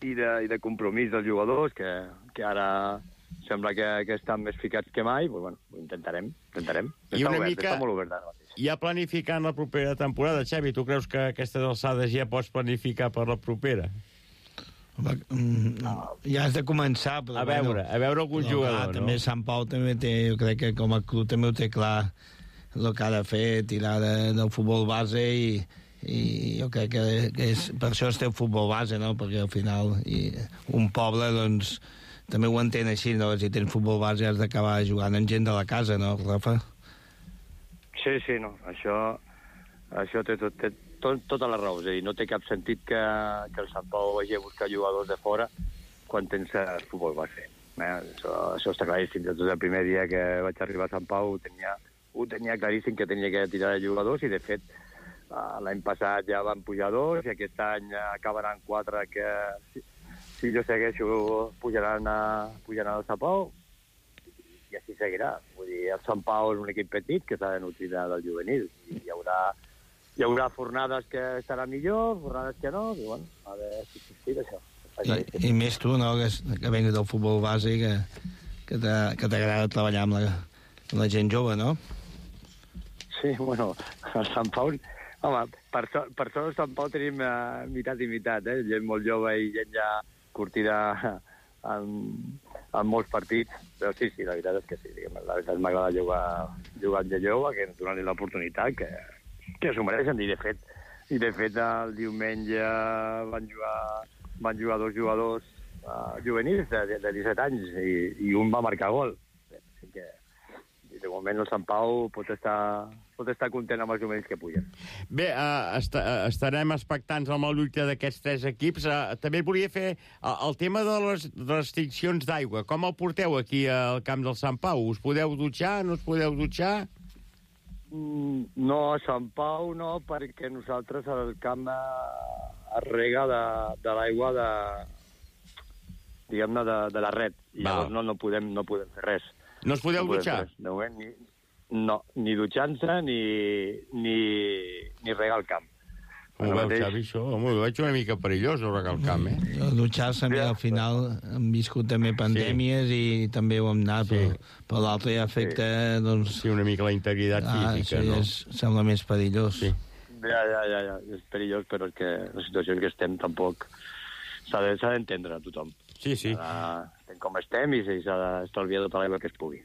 i, de, i de compromís dels jugadors, que, que ara sembla que, que estan més ficats que mai, pues, bueno, ho intentarem, intentarem. I una obert, mica... està molt obert ara. Ja planificant la propera temporada, Xavi, tu creus que a aquestes alçades ja pots planificar per la propera? Home, ja has de començar, però... A veure, bueno, a veure algun jugador, clar, no? També Sant Pau també té, jo crec que com a club també ho té clar el que ha de fer, tirar de, del futbol base, i, i jo crec que, que és, per això es té el futbol base, no? Perquè al final i un poble, doncs, també ho entén així, no? Si tens futbol base has d'acabar jugant amb gent de la casa, no, Rafa? Sí, sí, no. Això, això té, tot, té tot, tota la raó. És a dir, no té cap sentit que, que el Sant Pau vagi a buscar jugadors de fora quan tens el futbol base. Eh? Això, això està claríssim. Des del primer dia que vaig arribar a Sant Pau ho tenia, ho tenia claríssim que tenia que tirar de jugadors, i de fet l'any passat ja van pujar dos i aquest any acabaran quatre que si, si jo segueixo pujaran, a, pujaran al Sant Pau. I així seguirà. Vull dir, el Sant Pau és un equip petit que s'ha de nutrir del juvenil. I hi haurà, hi haurà fornades que estaran millor, fornades que no, i bueno, a veure si s'estira això. I, I més tu, no?, que, que vengues del futbol base, que, que t'agrada treballar amb la, amb la gent jove, no? Sí, bueno, el Sant Pau... Home, per sort, per sort al Sant Pau tenim uh, mitat i mitat, eh? Gent molt jove i gent ja curtida en, en molts partits, però sí, sí, la veritat és que sí, diguem, la veritat m'agrada jugar, jugar amb gent jove, que ens donen l'oportunitat, que, que s'ho mereixen, i de fet, i de fet el diumenge van jugar, van jugar dos jugadors uh, juvenils de, de disset anys, i, i un va marcar gol. Així que, de moment, el Sant Pau pot estar, pot estar content amb els juvenils que pugen. Bé, uh, est estarem expectants amb la lluita d'aquests tres equips. Uh, també volia fer uh, el tema de les restriccions d'aigua. Com el porteu aquí al camp del Sant Pau? Us podeu dutxar? No us podeu dutxar? Mm, no, a Sant Pau no, perquè nosaltres el camp es rega de, de l'aigua de, diguem-ne, de, de la red. I llavors no, no, podem, no podem fer res. No us podeu no dutxar? De moment, ni, no, ni dutxant-se ni, ni, ni regar el camp. Com ho veu, Xavi, això? Home, ho veig una mica perillós, no regar el camp, eh? Jo, dutxar-se, al final hem viscut també pandèmies, sí, i també ho hem anat, sí, però, però l'altre ja afecta, sí, doncs... Sí, una mica la integritat ah, física, sí, no? És, sembla més perillós. Sí. Ja, ja, ja, ja, és perillós, però és que la situació en què estem tampoc s'ha d'entendre a tothom. Sí, sí. Ara estem com estem i s'ha d'estalviar tota l'aigua que es pugui.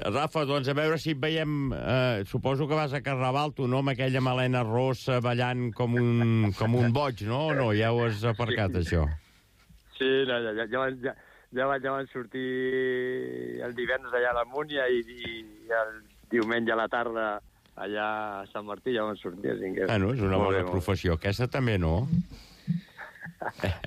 Rafa, doncs a veure si et veiem... Eh, suposo que vas a Carnaval, tu, no?, amb aquella melena rossa ballant com un, com un boig, no? O no? Ja ho has aparcat, sí, això? Sí, no, ja, ja, ja, ja, va, ja van sortir el divendres allà a la Múnia i, i el diumenge a la tarda allà a Sant Martí ja van sortir. Així que... Bueno, és una bona professió. Aquesta també no.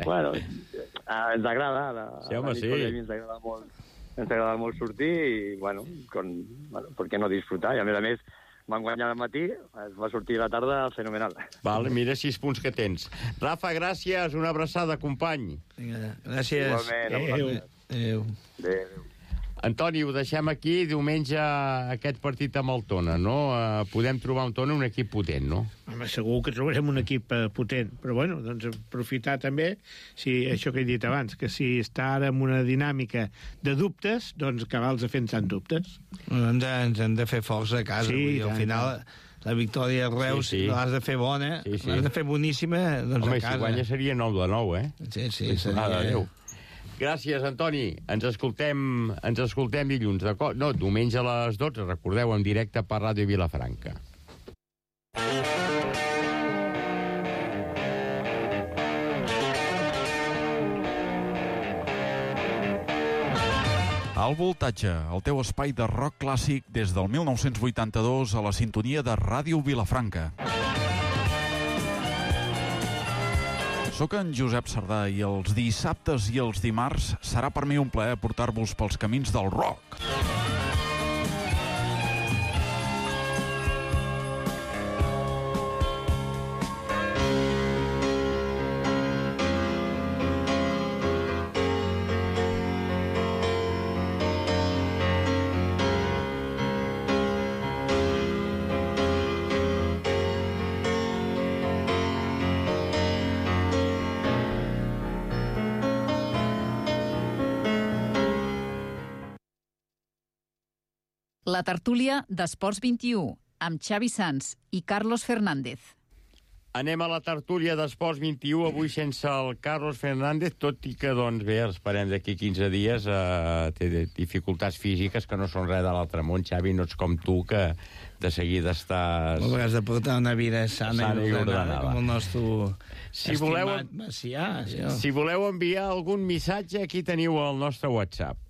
Bueno, ens agrada. La, sí, home, sí. Ens agrada molt, ens agrada molt sortir i, bueno, con, bueno, per què no disfrutar? I, a més a més, van guanyar al matí, es va sortir a la tarda fenomenal. Vale, mira sis punts que tens. Rafa, gràcies, una abraçada, company. Vinga, gràcies. Igualment. Adéu. Adéu. Adéu. Antoni, ho deixem aquí. Diumenge aquest partit amb el Tona, no? Uh, podem trobar un Tona un equip potent, no? Home, segur que trobarem un equip uh, potent, però bueno, doncs aprofitar també, si això que he dit abans, que si està ara en una dinàmica de dubtes, doncs acabar-los fent tant dubtes. Bueno, ens, ens hem de fer força a casa, sí, i al final la victòria a Reus sí, sí. l'has de fer bona, sí, sí. l'has de fer boníssima, doncs home, a casa. Home, si guanya seria nou de nou, eh? Sí, sí, seria... Ah, adéu. Gràcies, Antoni. Ens escoltem, ens escoltem dilluns, d'acord? No, diumenge a les dotze, recordeu, en directe per Ràdio Vilafranca. Al Voltatge, el teu espai de rock clàssic des del mil nou-cents vuitanta-dos a la sintonia de Ràdio Vilafranca. Soc en Josep Sardà i els dissabtes i els dimarts serà per mi un plaer portar-vos pels camins del rock. La tertúlia d'Esports vint-i-u, amb Xavi Sans i Carlos Fernández. Anem a la tertúlia d'Esports vint-i-u, avui sense el Carlos Fernández, tot i que, doncs, bé, esperem d'aquí quinze dies, eh, té dificultats físiques que no són res de l'altre món. Xavi, no ets com tu, que de seguida estàs... Molt has de portar una vida sana, sana i ordenada, com el nostre si voleu, estimat Macià. Això. Si voleu enviar algun missatge, aquí teniu el nostre WhatsApp.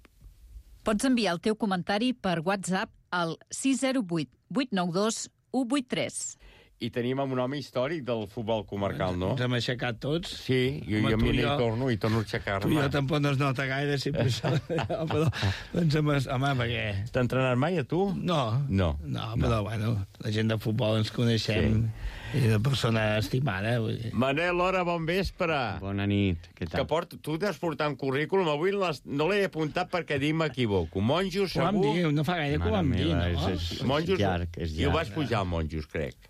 Pots enviar el teu comentari per WhatsApp al sis zero vuit vuit nou dos u vuit tres. I tenim un home històric del futbol comarcal, no? Ens hem aixecat tots. Sí, jo, jo m'hi torno i torno a aixecar-me. Tu jo tampoc no es nota gaire, si per això... però, doncs, home, perquè... T'ha entrenat mai, a tu? No. No. No, però, no. bueno, la gent de futbol ens coneixem... Sí. I de persona estimada. Vull dir. Manel, Lora, bon vespre. Bona nit, què tal? Que port... Tu t'has portat un currículum, avui no l'he apuntat perquè dic m'equivoco. Monjos, segur... Ho vam dir, no fa gaire que ho vam dir, no? És, és, Monjos, llarg, és llarg. I ho vas pujar al Monjos, crec.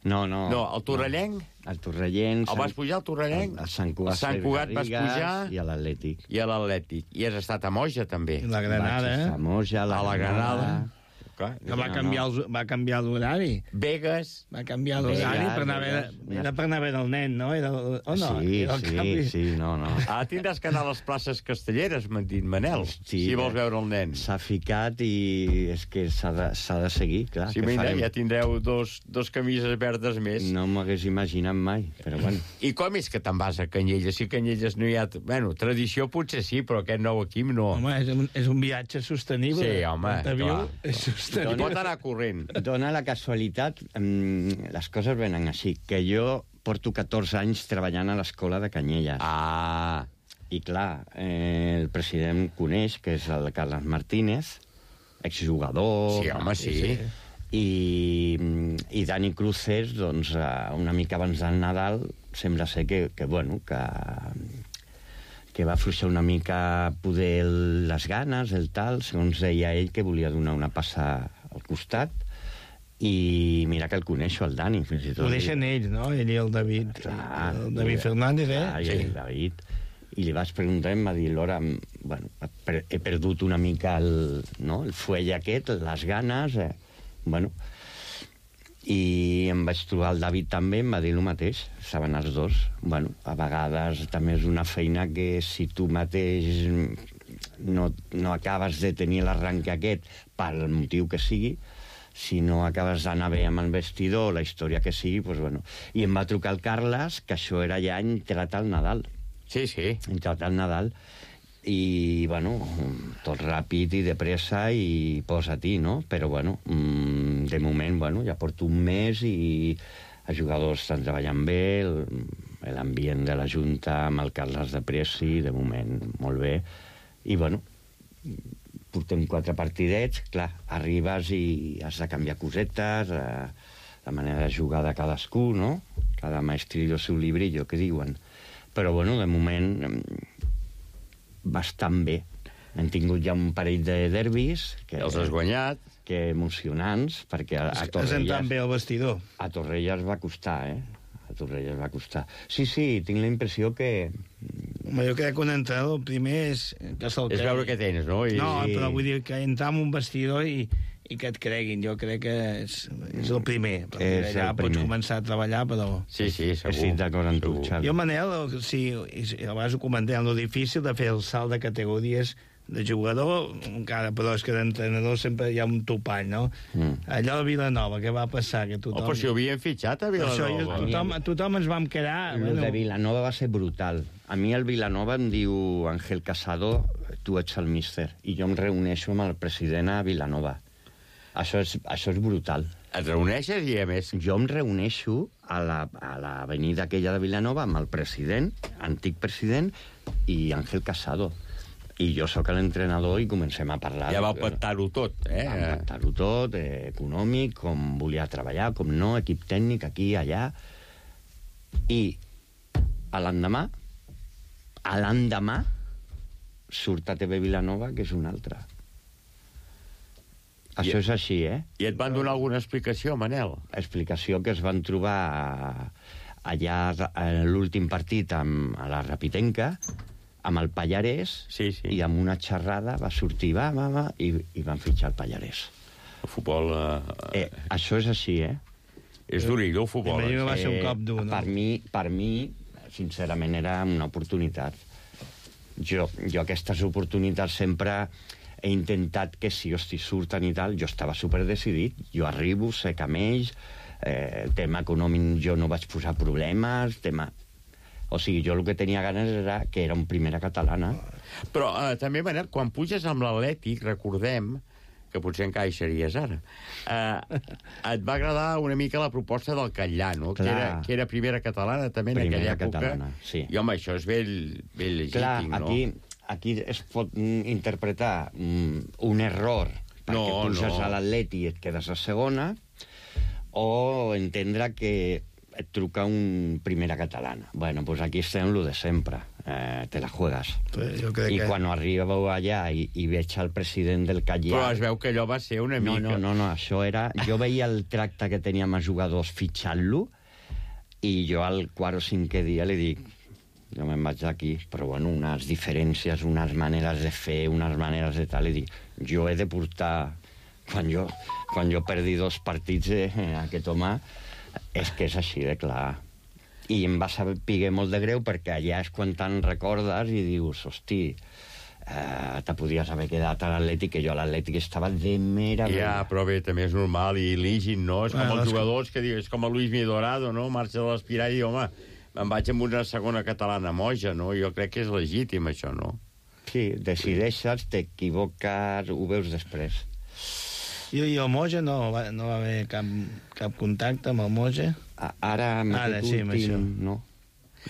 No, no. No, el Torrellenc? No. El Torrellenc... El vas pujar al Torrellenc? A Sant Cugat, Sant Cugat vas pujar... I a l'Atlètic. I a l'Atlètic. I has estat a Moja, també. I la Granada. Vaig a Moja, a la, a la Granada. Granada. Clar, que va canviar, el, va canviar l'horari. Vegas. Va canviar l'horari per anar a veure, era per anar a veure el nen, no? Era, o no? Sí, era el sí, canvi. sí, no, no. Ah, tindràs que anar a les places castelleres, m'han dit, Manel, sí, si vols veure el nen. S'ha ficat i és que s'ha de, de seguir, clar. Sí, mira, farem? Ja tindreu dos, dos camises verdes més. No m'hagués imaginat mai, però bueno. I com és que te'n vas a Canyelles? Si Canyelles no hi ha... Bueno, tradició potser sí, però aquest nou equip no. Home, és un, és un viatge sostenible. Sí, home, clar. És sostenible. Pot anar corrent. Dona la casualitat, mm, les coses venen així, que jo porto catorze anys treballant a l'escola de Canyelles. Ah. I clar, eh, el president coneix, que és el Carles Martínez, exjugador... Sí, home, sí. sí. I, i Dani Cruces, doncs, una mica abans del Nadal, sembla ser que, que bueno, que... que va afluixar una mica poder les ganes, el tal, segons deia ell, que volia donar una passa al costat, i mira que el coneixo, el Dani, fins i tot. Ho deixen ells, no? Ell i el David. Clar, el David Fernández, eh? Clar, sí. El David. I li vaig preguntar, em va dir, Lora, bueno, he perdut una mica el, no? el fuell aquest, les ganes, eh? Bueno, i em vaig trobar el David també, em va dir el mateix, saben els dos. Bueno, a vegades també és una feina que si tu mateix no, no acabes de tenir l'arranque aquest pel motiu que sigui, si no acabes d'anar bé amb el vestidor, la història que sigui, doncs bueno. I em va trucar el Carles, que això era ja entrat al Nadal. Sí, sí. Entrat al Nadal. i, bueno, tot ràpid i de pressa i posa-t'hi, no? Però, bueno, de moment, bueno, ja porto un mes i els jugadors estan treballant bé, l'ambient de la Junta amb el Carles de Presi, de moment, molt bé. I, bueno, portem quatre partidets, clar, arribes i has de canviar cosetes, la manera de jugar de cadascú, no? Cada maestrillo su librillo, que diuen. Però, bueno, de moment, bastant bé. Hem tingut ja un parell de derbis... Que els has guanyat. Que emocionants, perquè a, a Torrelles... Es bé el vestidor. A Torrelles va costar, eh? A Torrelles va costar. Sí, sí, tinc la impressió que... Home, jo crec que un entrenador primer és... Que és que... veure què tens, no? I... No, però vull dir que entrar en un vestidor i, i que et creguin. Jo crec que és, és el primer. És ja el pots primer. començar a treballar, però... Sí, sí, segur. Estic d'acord amb tu, Xavi. Jo, Manel, sí, abans ho comentem, lo difícil de fer el salt de categories de jugador, encara, però és que d'entrenador sempre hi ha un topall, no? Mm. Allò de Vilanova, què va passar? Que tothom... Oh, però si ho havien fitxat a Vilanova. Això, jo, tothom, tothom ens vam quedar... El bueno. de Vilanova va ser brutal. A mi el Vilanova em diu Ángel Casado, tu ets el míster, i jo em reuneixo amb el president a Vilanova. Això és, això és brutal. Et reuneixes i, a més... Jo em reuneixo a l'avenida la, aquella de Vilanova amb el president, antic president, i Ángel Casado. I jo sóc l'entrenador i comencem a parlar... Ja vau pactar-ho tot, eh? Vam pactar-ho tot, eh, econòmic, com volia treballar, com no, equip tècnic, aquí, allà. I a l'endemà, a l'endemà, surt a T V Vilanova, que és una altra. Això I, és així, eh? I et van donar alguna explicació, Manel? Explicació que es van trobar allà en l'últim partit amb, a la Rapitenca, amb el Pallarès, sí, sí. I amb una xerrada va sortir, va, va, va, i, i van fitxar el Pallarès. El futbol... Uh, eh, això és així, eh? És durillo, el futbol. Eh, va ser un cop dur, no? Per mi, per mi, sincerament, era una oportunitat. Jo, jo aquestes oportunitats sempre he intentat que si, hosti, surten i tal, jo estava superdecidit. Jo arribo, sé que amb ells, eh, tema econòmic jo no vaig posar problemes, tema... O sigui, jo el que tenia ganes era que era un primera catalana. Però eh, també, Manel, quan puges amb l'Atlètic, recordem, que potser encaixaries ara, eh, et va agradar una mica la proposta del Catllà, no? Que era, que era primera catalana també en primera aquella època. Catalana, sí. I, home, això és ben, ben legítim, clar, no? Aquí, aquí es pot interpretar mm, un error perquè no, puges no. a l'Atleti i et quedes a segona, o entendre que et truca un primera catalana. Bueno, pues aquí estem lo de sempre. Eh, te la juegas. Pues jo crec I que... quan arribeu allà i, i veig el president del Catllà... Però es veu que allò va ser una no, mica... No, no, no, això era... Jo veia el tracte que teníem els jugadors fitxant-lo i jo al quart o cinquè dia li dic jo me'n vaig d'aquí, però bueno, unes diferències, unes maneres de fer, unes maneres de tal, i dic, jo he de portar... Quan jo, quan jo perdi dos partits, eh, aquest home... És que és així de clar. I em va saber molt de greu perquè allà és quan te'n recordes i dius, hosti, eh, te podies haver quedat a l'Atlètic, que jo a l'Atlètic estava de mera... Ja, però bé, també és normal, i lígin, no? És com Bueno, els és jugadors que dius, és com el Luis Midorado, no? Marxa de l'Espirà i diu, home, me'n vaig amb una segona catalana moja, no? Jo crec que és legítim, això, no? Sí, decideixes, t'equivoques, ho veus després. I, i el Moja no va, no va haver cap, cap contacte amb el Moja? Ara, amb Ara aquest sí, amb últim, això. no.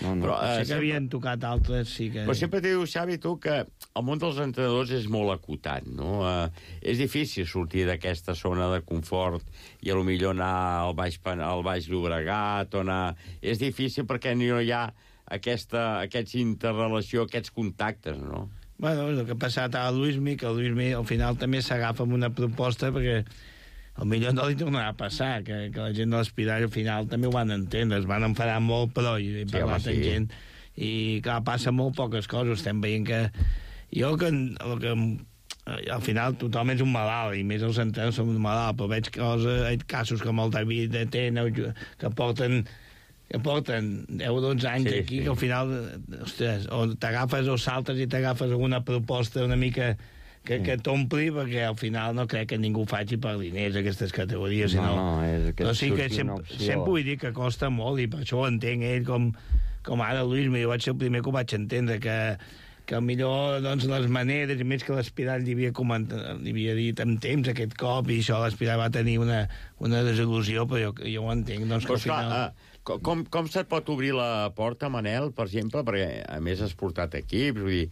No, no. Però, Sé eh, que sempre... havien tocat altres, sí que... Però sempre t'he dit, Xavi, tu, que el món dels entrenadors és molt acotat, no? Eh, és difícil sortir d'aquesta zona de confort i a lo millor anar al Baix, al Baix Llobregat o anar... És difícil perquè no hi ha aquesta, aquests interrelació, aquests contactes, no? Bueno, el que ha passat a Luismi, que el Luismi al final també s'agafa amb una proposta perquè al millor no li tornarà a passar, que, que la gent de l'Espiral al final també ho van entendre, es van enfadar molt, però hi he parlat sí, home, amb sí. gent, i clar, passa molt poques coses, estem veient que jo que, el que al final tothom és un malalt, i més els entrenadors som un malalt, però veig coses, hi ha casos com el David de Tena, que porten que porten deu o dotze anys sí, aquí, sí. Que al final, ostres, o t'agafes o saltes i t'agafes alguna proposta una mica que, que t'ompli, perquè al final no crec que ningú faci per diners aquestes categories, no, sinó... no, és que però sí que sempre, sempre vull dir que costa molt, i per això ho entenc ell, com, com ara Luis, jo vaig ser el primer que ho vaig entendre, que que millor doncs, les maneres, i més que l'Espiral li havia, comentat, li havia dit amb temps aquest cop, i això l'Espiral va tenir una, una desil·lusió, però jo, jo ho entenc. Doncs, que Però, esclar, final... uh, com, com se't pot obrir la porta, Manel, per exemple, perquè a més has portat equips, vull dir,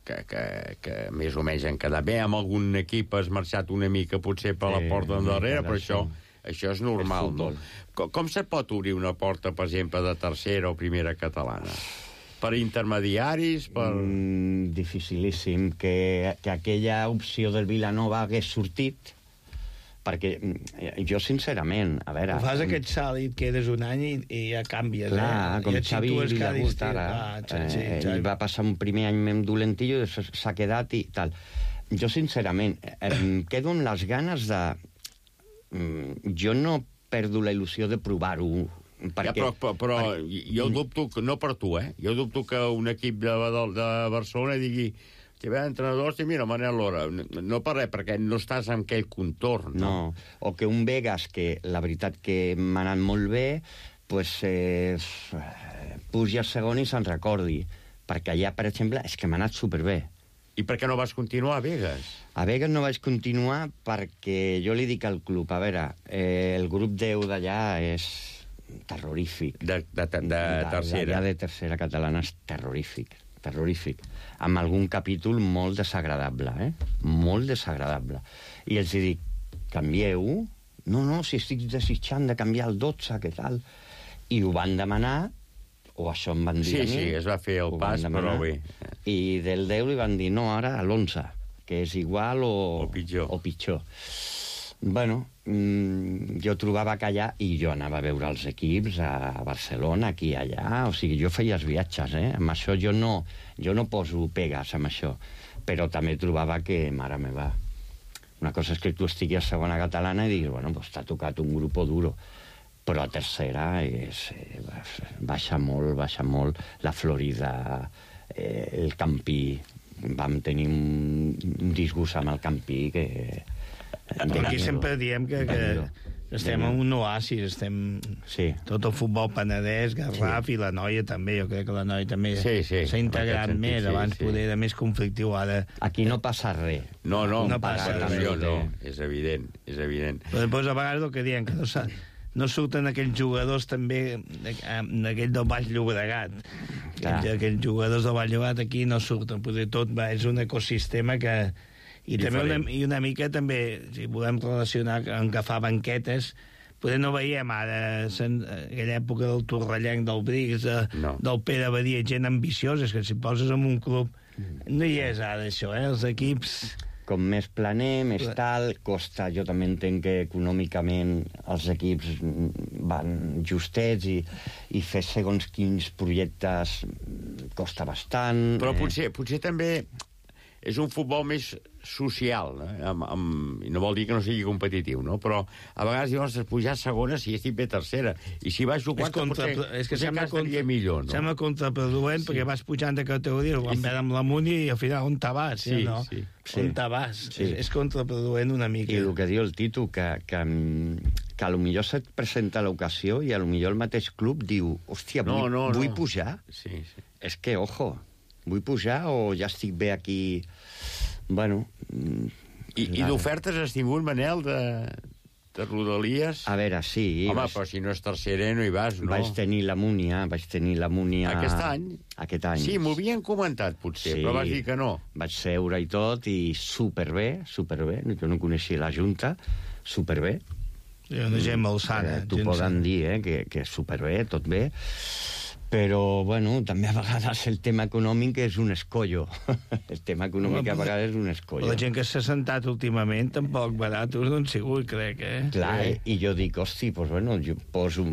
que, que, que més o menys han quedat bé, amb algun equip has marxat una mica potser per la Sí, porta d'endarrere, però això, sí. això és normal, És no? futbol. Com, com se't pot obrir una porta, per exemple, de tercera o primera catalana? Per intermediaris? Per... Mm, dificilíssim que, que aquella opció del Vilanova hagués sortit, perquè mm, jo, sincerament, a veure... Fas aquest salt i et quedes un any i, i ja canvies, clar, eh? com I et Xavi situes cada Vilagust estiu. ara, Ah, sí, sí, eh, Xavi. ell va passar un primer any amb dolentillo i després s'ha quedat i tal. Jo, sincerament, em quedo amb les ganes de... Mm, jo no perdo la il·lusió de provar-ho, perquè... Ja, però però, però per... jo dubto, que, no per tu, eh? Jo dubto que un equip de, de, de Barcelona digui que ve entrenador, i mira, Manel Lora, no, no per res, perquè no estàs en aquell contorn. No? No, o que un Vegas, que la veritat que m'ha anat molt bé, pues, eh, pugi al segon i se'n recordi. Perquè allà, per exemple, és que m'ha anat superbé. I per què no vas continuar a Vegas? A Vegas no vaig continuar perquè jo li dic al club, a veure, eh, el grup deu d'allà és terrorífic. De, de, de, de tercera. D'allà de tercera catalana és terrorífic, terrorífic. Amb algun capítol molt desagradable, eh? Molt desagradable. I els dic, canvieu? No, no, si estic desitjant de canviar el dotze, què tal? I ho van demanar, o això em van dir Sí, a mi. sí, es va fer el pas, però bé. I del deu li van dir, no, ara a l'onze, que és igual o... O pitjor. O pitjor. Bueno, mmm, jo trobava que allà, i jo anava a veure els equips a Barcelona, aquí i allà, o sigui, jo feia els viatges, eh? Amb això jo no, jo no poso pegues amb això, però també trobava que, mare meva, una cosa és que tu estiguis a segona catalana i diguis, bueno, pues t'ha tocat un grup duro, però a tercera és, eh, baixa molt, baixa molt, la Florida, eh, el Campí, vam tenir un, un disgust amb el Campí que... Aquí sempre diem que, que estem en un oasis, estem... Sí. Tot el futbol penedès, Garraf sí. I la noia també, jo crec que la noia també s'ha sí, sí, integrat sentit, més, sí, abans sí. poder era més conflictiu, ara... Aquí no passa res. No, no, no passa res. Jo no, és evident, és evident. Però després, a vegades, el que diem, que no, no surten aquells jugadors també, aquells del Baix Llobregat. Aquells, aquells jugadors del Baix Llobregat aquí no surten, potser tot va, és un ecosistema que... I també una, i una mica també, si volem relacionar amb que fa banquetes, potser no veiem ara en aquella època del Torrellenc, del Brix, de, no. del Pere Badia, gent ambiciosa, és que si poses en un club no hi és ara això, eh? Els equips... Com més planer, més tal, costa, jo també entenc que econòmicament els equips van justets i, i fer segons quins projectes costa bastant. Però potser, potser també és un futbol més social, no? Amb, amb, i no vol dir que no sigui competitiu, no? Però a vegades diuen, has pujar a segona si estic bé tercera, i si vas jugar contra, potser, és que potser sembla, contra, millor, no? sembla contraproduent, sí. Perquè vas pujant de categoria, ho van veure amb la Muni i al final on te vas, sí, no? Sí. On te vas? Sí. És, és contraproduent una mica. I el que diu el Tito, que, que, que a lo millor se't presenta l'ocasió i a lo millor el mateix club diu, hòstia, vull, no, no, vull no. pujar? Sí, sí. És que, ojo, vull pujar o ja estic bé aquí... Bueno... I, i d'ofertes has tingut, Manel, de, de Rodalies? A veure, sí. Home, vaig... però si no és tercera no hi vas, no? Vaig tenir la Múnia, vaig tenir la Múnia... Aquest any? Aquest any. Sí, m'ho havien comentat, potser, sí, però vas dir que no. Vaig seure i tot, i superbé, superbé. Jo no coneixia la Junta, superbé. Hi ha una gent molt sana. Eh, T'ho poden dir, eh, que, que superbé, tot bé. Però, bueno, també a vegades el tema econòmic és un escollo. El tema econòmic a vegades és un escollo. La gent que s'ha sentat últimament tampoc baratos no han sigut, crec, eh? Clar, eh? I jo dic, hosti, pues bueno, jo poso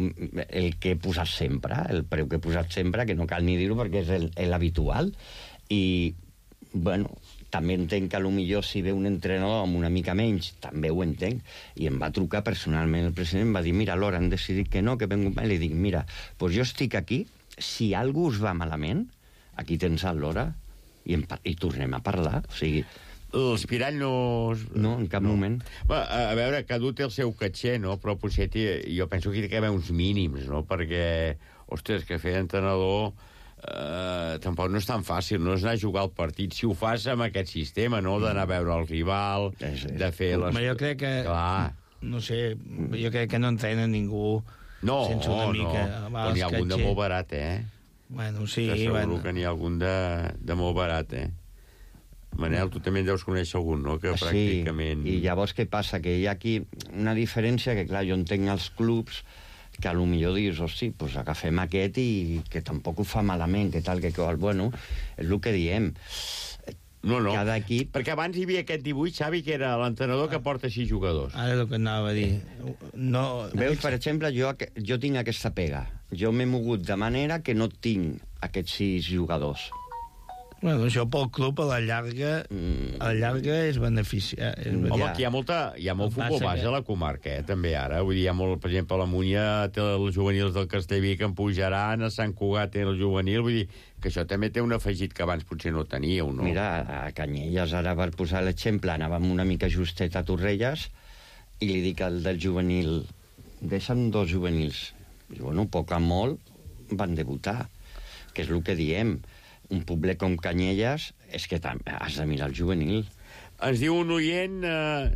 el que he posat sempre, el preu que he posat sempre, que no cal ni dir-ho perquè és l'habitual. I, bueno, també entenc que potser si ve un entrenador amb una mica menys, també ho entenc. I em va trucar personalment el president, em va dir, mira, Lora, han decidit que no, que vengo... I li dic, mira, pues jo estic aquí, si algú us va malament, aquí tens el Lora i, em, i tornem a parlar. O sigui... L'Espirall no... No, en cap no. moment. Va, a veure, cada un té el seu caché, no? Però potser jo penso que hi ha d'haver uns mínims, no? Perquè, ostres, que fer entrenador Uh, tampoc no és tan fàcil, no és anar a jugar al partit. Si ho fas amb aquest sistema, no?, d'anar a veure el rival, de fer les... Home, jo crec que... Clar. No sé, jo crec que no entrena ningú no, sense una mica... No, no, n'hi ha algun de molt barat, eh? Bueno, sí, que segur bueno. que n'hi ha algun de, de molt barat, eh? Manel, tu també en deus conèixer algun, no?, que sí, pràcticament... I llavors què passa? Que hi ha aquí una diferència que, clar, jo entenc els clubs que a lo millor dius, hosti, pues agafem aquest i que tampoc ho fa malament, que tal, que qual. Bueno, és el que diem. No, no, cada equip... perquè abans hi havia aquest dibuix, Xavi, que era l'entrenador que porta sis jugadors. Ara és el que anava a dir. No... Veus, per exemple, jo, jo tinc aquesta pega. Jo m'he mogut de manera que no tinc aquests sis jugadors. Bueno, això pel club a la llarga, mm. a la llarga és beneficia. És Home, aquí hi ha, molta, hi ha molt futbol base que... a la comarca, eh, també ara. Vull dir, hi ha molt, per exemple, la Múnia té els juvenils del Castellví que en pujaran, a Sant Cugat té el juvenil, vull dir que això també té un afegit que abans potser no teníeu, no? Mira, a Canyelles, ara per posar l'exemple, anàvem una mica justet a Torrelles i li dic al del juvenil, deixa'm dos juvenils. I, bueno, poc a molt van debutar, que és el que diem. Un poblet com Canyelles és que has de mirar el juvenil. Ens diu un oient eh,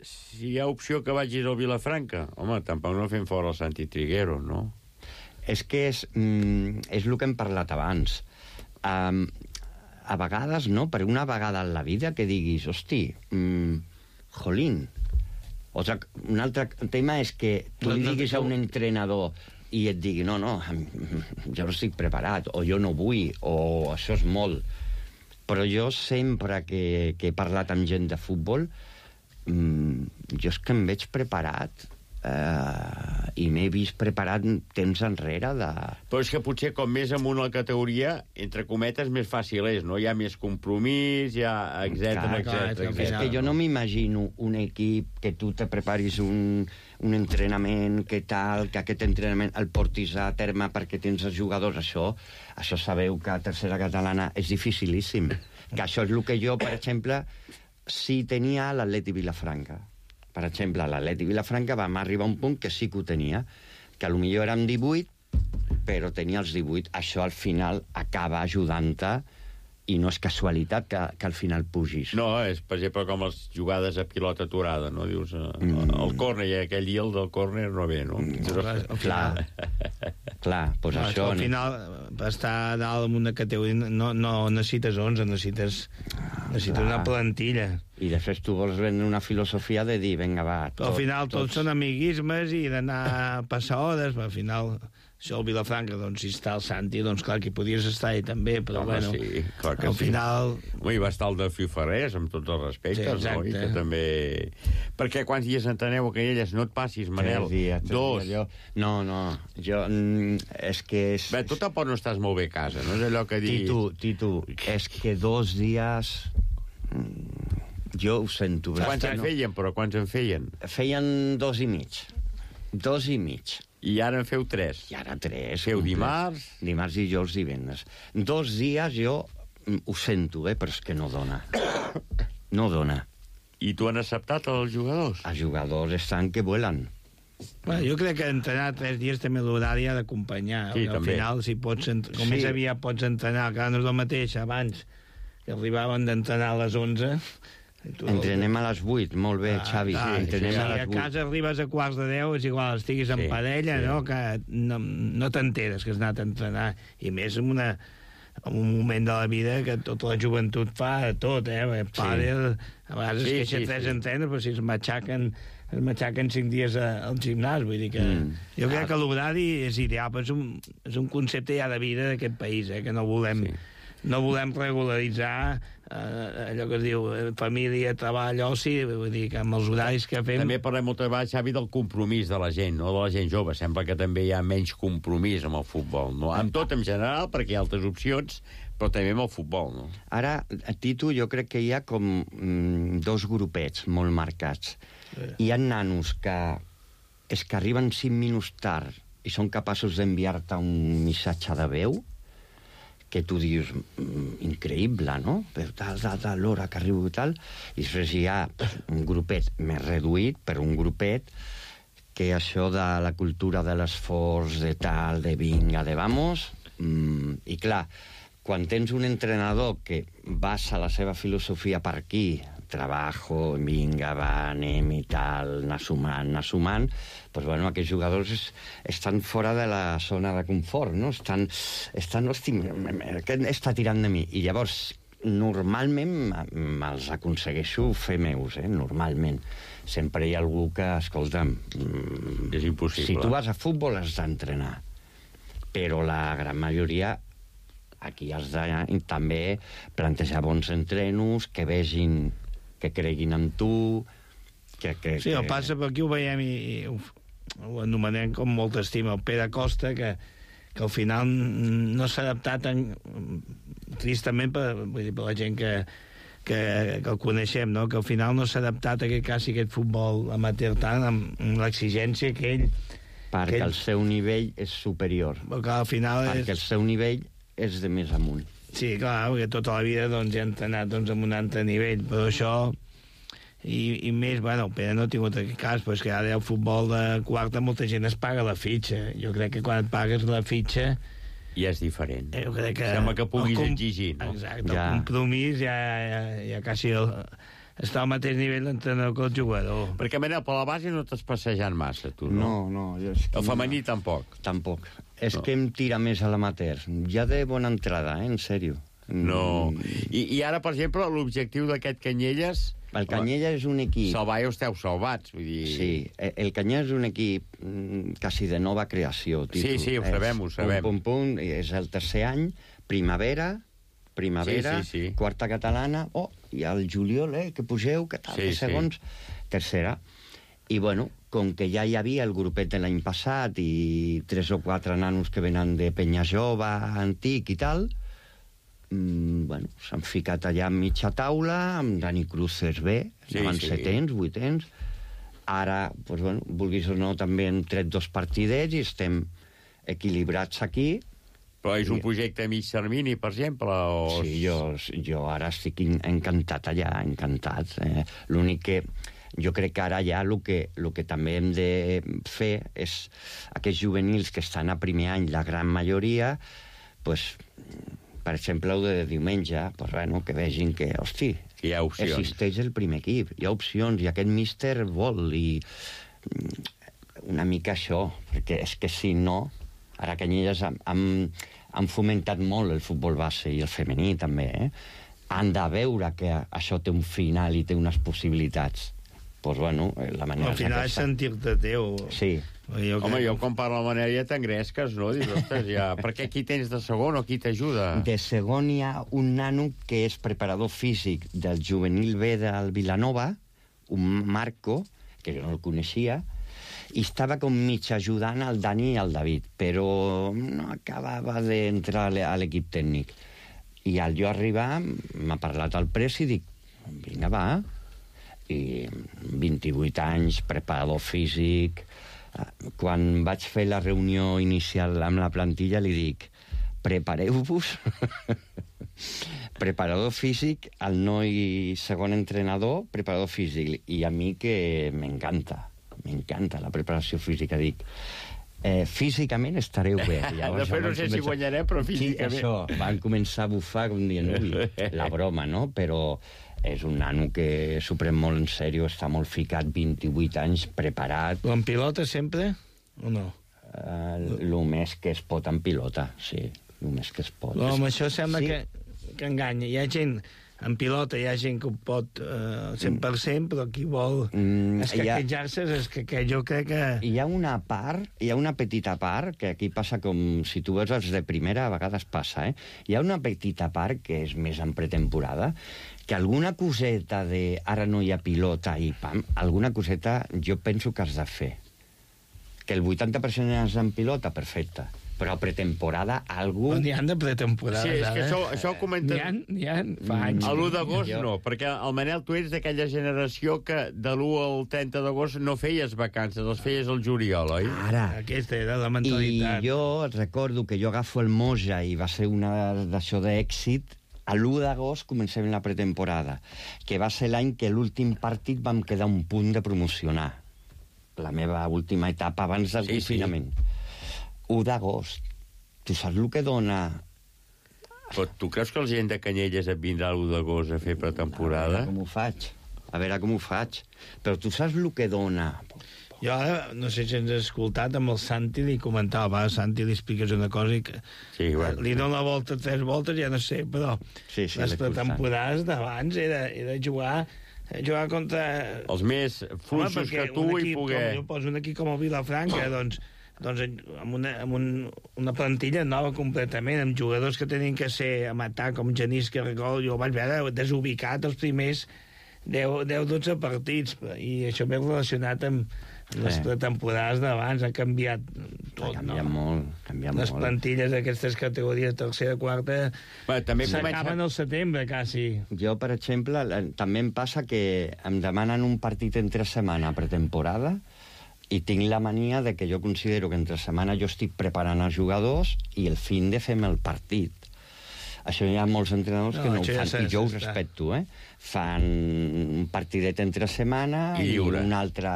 si hi ha opció que vagis al Vilafranca. Home, tampoc no fem fora el Santi Triguero, no? És que és, mm, és el que hem parlat abans. Um, a vegades, no? Per una vegada en la vida que diguis, hosti, mm, jolín. O sigui, un altre tema és que tu li diguis a un entrenador i et digui, no, no, jo no estic preparat, o jo no vull, o això és molt. Però jo sempre que, que he parlat amb gent de futbol, mmm, jo és que em veig preparat, eh, i m'he vist preparat temps enrere de... Però és que potser com més amunt a la categoria, entre cometes, més fàcil és, no? Hi ha més compromís, hi ha etcètera, etcètera. És que jo no m'imagino un equip que tu te preparis un, un entrenament, que tal, que aquest entrenament el portis a terme perquè tens els jugadors. Això, això sabeu que a tercera catalana és dificilíssim. Que això és el que jo, per exemple, sí tenia a l'Atleti Vilafranca. Per exemple, l'Atleti Vilafranca vam arribar a un punt que sí que ho tenia, que potser érem divuit, però tenia els divuit. Això al final acaba ajudant-te i no és casualitat que, que al final pugis. No, és, per exemple, com les jugades a pilota aturada, no? Dius, eh, mm. el córner, i aquell dia el del córner no ve, no? Mm. Clar, clar, doncs no, això... Al final, per estar dalt en una categoria, no, no necessites onze, necessites, necessites clar. Una plantilla. I després tu vols vendre una filosofia de dir, vinga, va... Tot, al final tots, tots són amiguismes i d'anar a passar hores, però al final... Això al Vilafranca, doncs, si està el Santi, doncs clar que podies estar ahí també, però home, bueno, sí, clar que al sí. final... Ui, va estar el de Fifarrés, amb tots els respectes, sí, no? I que també... Perquè quants dies enteneu a Canyelles? No et passis, Manel. Tres dies, tres Dos. Dies, jo... No, no, jo... Mm, és que és... Bé, tu tampoc no estàs molt bé a casa, no és allò que diguis... Titu, Titu, és que dos dies... Mm, jo ho sento. Quants en feien, però? Quants en feien? Feien dos i mig. Dos i mig. I ara en feu tres? I ara tres. Feu dimarts? Dimarts, dijous, divendres. Dos dies jo ho sento, eh, però és que no dona. No dona. I tu han acceptat els jugadors? Els jugadors estan que vuelan. Bueno, jo crec que entrenar tres dies també l'horari ha d'acompanyar. Sí, al també. final, si pots, com Sí. més aviat pots entrenar, que no és el mateix abans, que arribaven d'entrenar a les onze... Tu... Entrenem a les vuit, molt bé, ah, Xavi. Ah, sí, entrenem sí, a les vuit. vuit. A casa arribes a quarts de deu, és igual, estiguis en Sí, parella, sí. no? Que no, no t'enteres que has anat a entrenar. I més en, una, en un moment de la vida que tota la joventut fa tot, eh? Pàdel, a vegades Sí, es queixa sí, tres sí. entrenes, però si es matxaquen es matxaquen cinc dies a, al gimnàs, vull dir que... Mm. Jo crec Ah. que l'horari és ideal, però és un, és un concepte ja de vida d'aquest país, eh? Que no volem... Sí. No volem regularitzar eh, allò que es diu eh, família, treball, oci, vull dir que amb els horaris que fem... També parlem moltes vegades, Xavi, del compromís de la gent, no? De la gent jove. Sembla que també hi ha menys compromís amb el futbol, no? Amb tot en general, perquè hi ha altres opcions, però també amb el futbol, no? Ara, a Titu, jo crec que hi ha com mm, dos grupets molt marcats. Sí. Hi ha nanos que és que arriben cinc minuts tard i són capaços d'enviar-te un missatge de veu que tu dius, mm, increïble, no? Però tal, tal, tal, l'hora que arribo i tal. I després hi ha un grupet més reduït, però un grupet que això de la cultura de l'esforç, de tal, de vinga, de vamos, Mm, I clar, quan tens un entrenador que basa la seva filosofia per aquí, trabajo, vinga, va, anem i tal, anar sumant, anar sumant, doncs, bueno, aquests jugadors es, estan fora de la zona de confort, no? Estan, estan hosti, aquest està tirant de mi. I llavors, normalment me'ls aconsegueixo fer meus, eh? Normalment. Sempre hi ha algú que, escolta'm... És impossible. Si tu vas a futbol has d'entrenar. Però la gran majoria... Aquí has de també plantejar bons entrenos, que vegin, que creguin en tu... Que, que, sí, el que... passa per aquí ho veiem i, i ho, ho anomenem com molta estima. El Pere Costa, que, que al final no s'ha adaptat en, tristament per, vull dir, per la gent que, que, que el coneixem, no? Que al final no s'ha adaptat a aquest cas i aquest futbol amateur tant amb, amb l'exigència que ell... Perquè que ell... el seu nivell és superior. Perquè al final Perquè és... el seu nivell és de més amunt. Sí, clar, perquè tota la vida doncs, ja ha entrenat doncs, amb un altre nivell, però això... I, i més, bueno, el Pere no ha tingut aquest cas, però és que ara el futbol de quarta molta gent es paga la fitxa. Jo crec que quan et pagues la fitxa... Ja és diferent. Jo crec que... Sembla que puguis com... exigir, no? Exacte, ja. El compromís ja, ja, ja quasi el... està al mateix nivell d'entrenador que el jugador. Perquè, Manel, per la base no t'has passejant massa, tu, no? No, no. Jo és que el femení no. Tampoc? Tampoc. És no. Que em tira més a l'amateur. Ja de bona entrada, eh? En sèrio. No. I, I ara, per exemple, l'objectiu d'aquest Canyelles... El Canyelles és un equip... Salvar esteu salvats, vull dir... Sí, el Canyelles és un equip quasi de nova creació. Títol. Sí, sí, ho sabem, ho sabem. Pum, pum, pum, és el tercer any, primavera, primavera, sí, sí, sí. Quarta catalana, oh, i al juliol, eh, que pugeu, que tal, sí, segons, sí. Tercera. I, bueno, com que ja hi havia el grupet de l'any passat i tres o quatre nanos que venen de Penya Jove, antic i tal... bueno, s'han ficat allà a mitja taula, amb Dani Cruces bé, sí, anaven sí. setens, vuitens. Ara, doncs, bueno, vulguis o no, també hem tret dos partidets i estem equilibrats aquí. Però és un projecte a mig termini, per exemple? O... Sí, jo, jo ara estic encantat allà, encantat. Eh, L'únic que jo crec que ara ja el que, el que també hem de fer és aquests juvenils que estan a primer any, la gran majoria, doncs... Per exemple, el de diumenge, pues, bueno, que vegin que, hosti, hi ha opcions. Existeix el primer equip, hi ha opcions, i aquest míster vol, i una mica això, perquè és que si no, ara Canyelles han, han fomentat molt el futbol base i el femení també, eh? Han de veure que això té un final i té unes possibilitats. Doncs, pues, bueno, la manera... Al final és sentir-te teu. Sí. Jo Home, jo quan parlo la manera ja t'engresques, no? Dius, ostres, ja... Per què aquí tens de segon o qui t'ajuda? De segon hi ha un nano que és preparador físic del juvenil B del Vilanova, un Marco, que jo no el coneixia, i estava com mig ajudant al Dani i al David, però no acabava d'entrar a l'equip tècnic. I al jo arribar m'ha parlat el pres i dic, vinga, va, i vint-i-vuit anys, preparador físic... Quan vaig fer la reunió inicial amb la plantilla li dic, prepareu-vos, preparador físic, el noi segon entrenador, preparador físic, i a mi que m'encanta, m'encanta la preparació física, dic, eh, físicament estareu bé. Llavors, Després no sé començar... si guanyarem, però físicament... Sí, això, van començar a bufar, com dient, ui, la broma, no? Però... és un nano que s'ho pren molt en sèrio, està molt ficat, vint-i-vuit anys, preparat. En pilota sempre o no? Uh, el més que es pot en pilota, sí, el més que es pot. No, amb això sembla sí. que, que enganya. Hi ha gent, en pilota hi ha gent que ho pot uh, cent per cent, però qui vol mm, escaquejar-se és que, que jo crec que... Hi ha una part, hi ha una petita part, que aquí passa com si tu veus els de primera, a vegades passa, eh? Hi ha una petita part que és més en pretemporada, que alguna coseta de ara no hi ha pilota i pam, alguna coseta jo penso que has de fer. Que el vuitanta per cent és en pilota, perfecte. Però a pretemporada algú... No, n'hi ha de pretemporada. Sí, és que això, això ho comentem... N'hi ha, n'hi ha fa anys. A l'u d'agost no, perquè el Manel, tu ets d'aquella generació que de l'u al trenta d'agost no feies vacances, les feies al juliol, oi? Ara. Aquesta era la mentalitat. I jo recordo que jo agafo el Moja i va ser una d'això d'èxit. A l'u d'agost comencem la pretemporada, que va ser l'any que l'últim partit vam quedar un punt de promocionar. La meva última etapa abans del sí, confinament. Sí. u d'agost. tu saps el que dona... Però tu creus que la gent de Canyelles et vindrà l'u d'agost a fer pretemporada? A veure com ho faig. A veure com ho faig. Però tu saps el que dona... Jo ara, no sé si ens has escoltat, amb el Santi li comentava, va, Santi li expliques una cosa i que sí, bueno. li dona la volta tres voltes, ja no sé, però sí, sí, les pretemporades d'abans era, era jugar jugar contra... Els més fluixos que tu i poder... Com, jo poso un equip com el Vilafranca, doncs, doncs amb, una, amb un, una plantilla nova completament, amb jugadors que tenien que ser a matar, com Genís Carregol, jo vaig veure desubicat els primers deu dotze partits, i això m'he relacionat amb les Sí. pretemporades d'abans, ha canviat tot, Ha canviat no? molt, canviat Les molt. plantilles d'aquestes categories, tercera, quarta, bueno, també s'acaben al setembre, quasi. Jo, per exemple, la- també em passa que em demanen un partit entre setmana pretemporada i tinc la mania de que jo considero que entre setmana jo estic preparant els jugadors i el fin de fem el partit. Això hi ha molts entrenadors No, que no ho això ja fan, s'ha- i jo ho s'està. respecto, eh? Fan un partidet entre setmana I i, lliure. un altre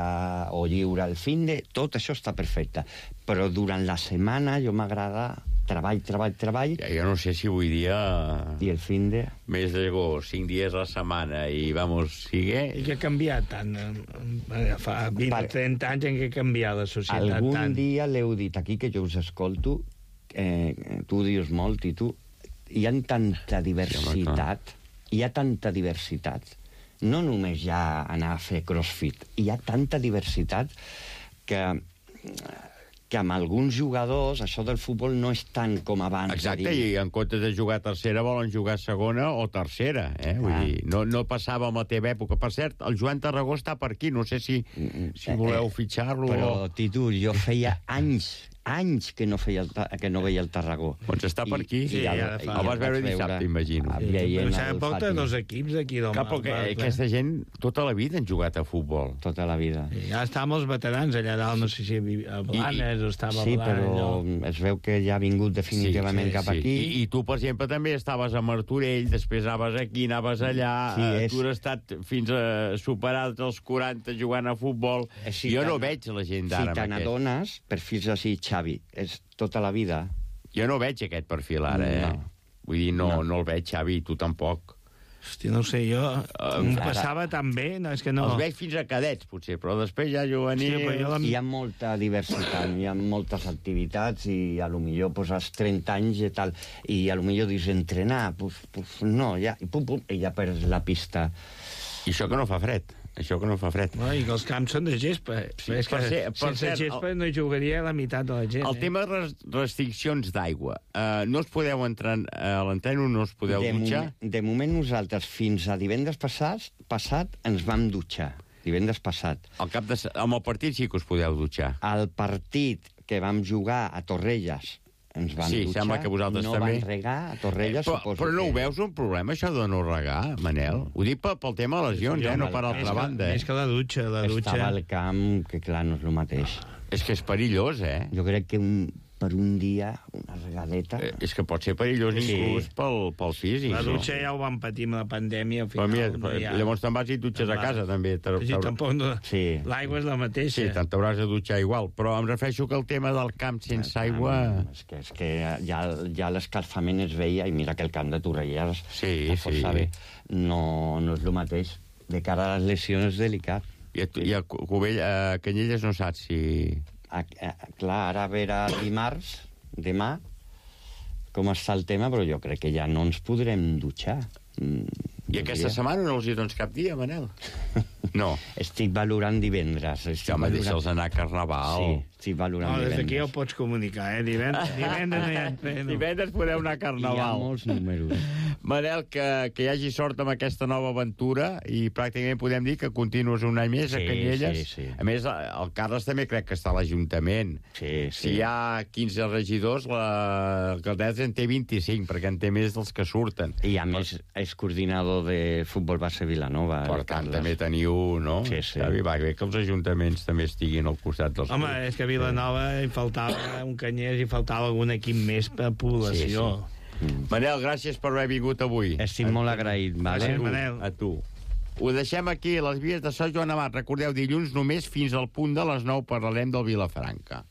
o lliure al fin de... Tot això està perfecte. Però durant la setmana jo m'agrada treball, treball, treball... Ja, jo no sé si avui dia... I el fin de... Mes d'agost, cinc dies a la setmana i vamos, sigue... I que ha canviat tant? eh, Fa vint o trenta anys en què ha canviat la societat Algun tant. dia l'heu dit aquí, que jo us escolto, eh, tu ho dius molt, i tu... Hi ha tanta diversitat, hi ha tanta diversitat. No només ja anar a fer crossfit, hi ha tanta diversitat que, que amb alguns jugadors això del futbol no és tant com abans. Exacte, i en comptes de jugar a tercera volen jugar a segona o tercera, eh? Vull dir, no, no passava amb la teva època. Per cert, el Joan Tarragó està per aquí, no sé si, si voleu fitxar-lo Però, o... Titu, jo feia anys, anys que no, feia el, Ta- que no veia el Tarragó. Doncs està per aquí. I, i el, el, el vas veure dissabte, imagino. Sí, veient Però el porta Fàtima. dos equips aquí del Clar, perquè Mar, aquesta gent tota la vida han jugat a futbol. Tota la vida. I ja estàvem els veterans allà dalt, no sé si a Blanes o estava Sí, a Blanes. però allò. es veu que ja ha vingut definitivament cap aquí. I, I tu, per exemple, també estaves a Martorell, després anaves aquí, anaves allà, Sí, eh, és- tu has estat fins a superar els quaranta jugant a futbol. Si jo te no n- veig la gent Si d'ara te amb aquest. n'adones, perfils així, Xavi, és tota la vida. Jo no veig aquest perfil ara, eh? No. Vull dir, no, No. no. no el veig, Xavi, tu tampoc. Hòstia, no ho sé, jo... Em ara- passava tan bé, no, és que no... Els veig fins a cadets, potser, però després ja juvenils... Hòstia, però jo la- Hi ha molta diversitat, hi ha moltes activitats i a lo millor pues, als trenta anys i tal, i a lo millor dius entrenar, pues, pues no, ja, i pum, pum, i ja perds la pista. I això que no fa fred, això que no fa fred. No, i que els camps són de gespa. Sí, és que per ser- per sense cert, gespa el- no hi jugaria la meitat de la gent. El eh? tema de res- restriccions d'aigua. Uh, no us podeu entrar a l'entreno, no us podeu de, dutxar? moment, de moment nosaltres fins a divendres passat, passat ens vam dutxar, divendres passat. Al cap de, se- amb el partit sí que us podeu dutxar. Al partit que vam jugar a Torrelles ens van Sí, dutxar, sembla que vosaltres no també. van regar a Torrelles, però, suposo però no que... ho veus un problema, això de no regar, Manel? Ho dic pel, pel tema de lesions, eh? No per Més altra que- banda, eh? Més que la dutxa, la dutxa... Estava al camp, que clar, no és el mateix. És que és perillós, eh? Jo crec que un, per un dia, una regadeta... Eh, És que pot ser perillós Sí. inclús pel, pel físic. La no? dutxa ja ho vam patir amb la pandèmia, al Però final. mira, no hi ha... llavors te'n vas i et dutxes a casa, també. Te- Sí, t'haurà- tampoc no... Sí. L'aigua és la mateixa. Sí, tant t'hauràs de dutxar igual. Però em refereixo que el tema del camp sense aigua... És que, és que ja, ja l'escalfament es veia, i mira que el camp de Torrelles Sí, està força sí. bé. No, no és el mateix. De cara a les lesions és delicat. I a, i a Cubell, a Canyelles no saps si... A, a, clar, ara a veure dimarts, demà, com està el tema, però jo crec que ja no ens podrem dutxar. Mm, I aquesta setmana no els hi dones cap dia, Manel? No. Estic valorant divendres. Estic Sí, home, valorant... deixa'ls anar a Carnaval. Sí, estic valorant No, des divendres. d'aquí ja ho pots comunicar, eh? Divendres, divendres no hi ha entreno. Divendres podeu anar a Hi ha Carnaval. molts números. Manel, que, que hi hagi sort amb aquesta nova aventura i pràcticament podem dir que continues un any més a Sí, Canyelles. sí, sí. A més, el Carles també crec que està a l'Ajuntament. Sí, sí. Si hi ha quinze regidors, l'alcaldessa en té vint-i-cinc, perquè en té més dels que surten. I a més és coordinador de futbol base Vilanova. Per el tant, Carles. també teniu, no? Sí, sí. Xavi, va bé que els ajuntaments també estiguin al costat dels... Home, és que a Vilanova hi faltava un Canyers, hi faltava algun equip més per població. Sí, Manel, gràcies per haver vingut avui. Estic molt agraït, vale? Gràcies, A tu, Manel. a tu. Ho deixem aquí, a les vies de Sant Joan Amat. Recordeu, dilluns només fins al punt de les nou parlarem del Vilafranca.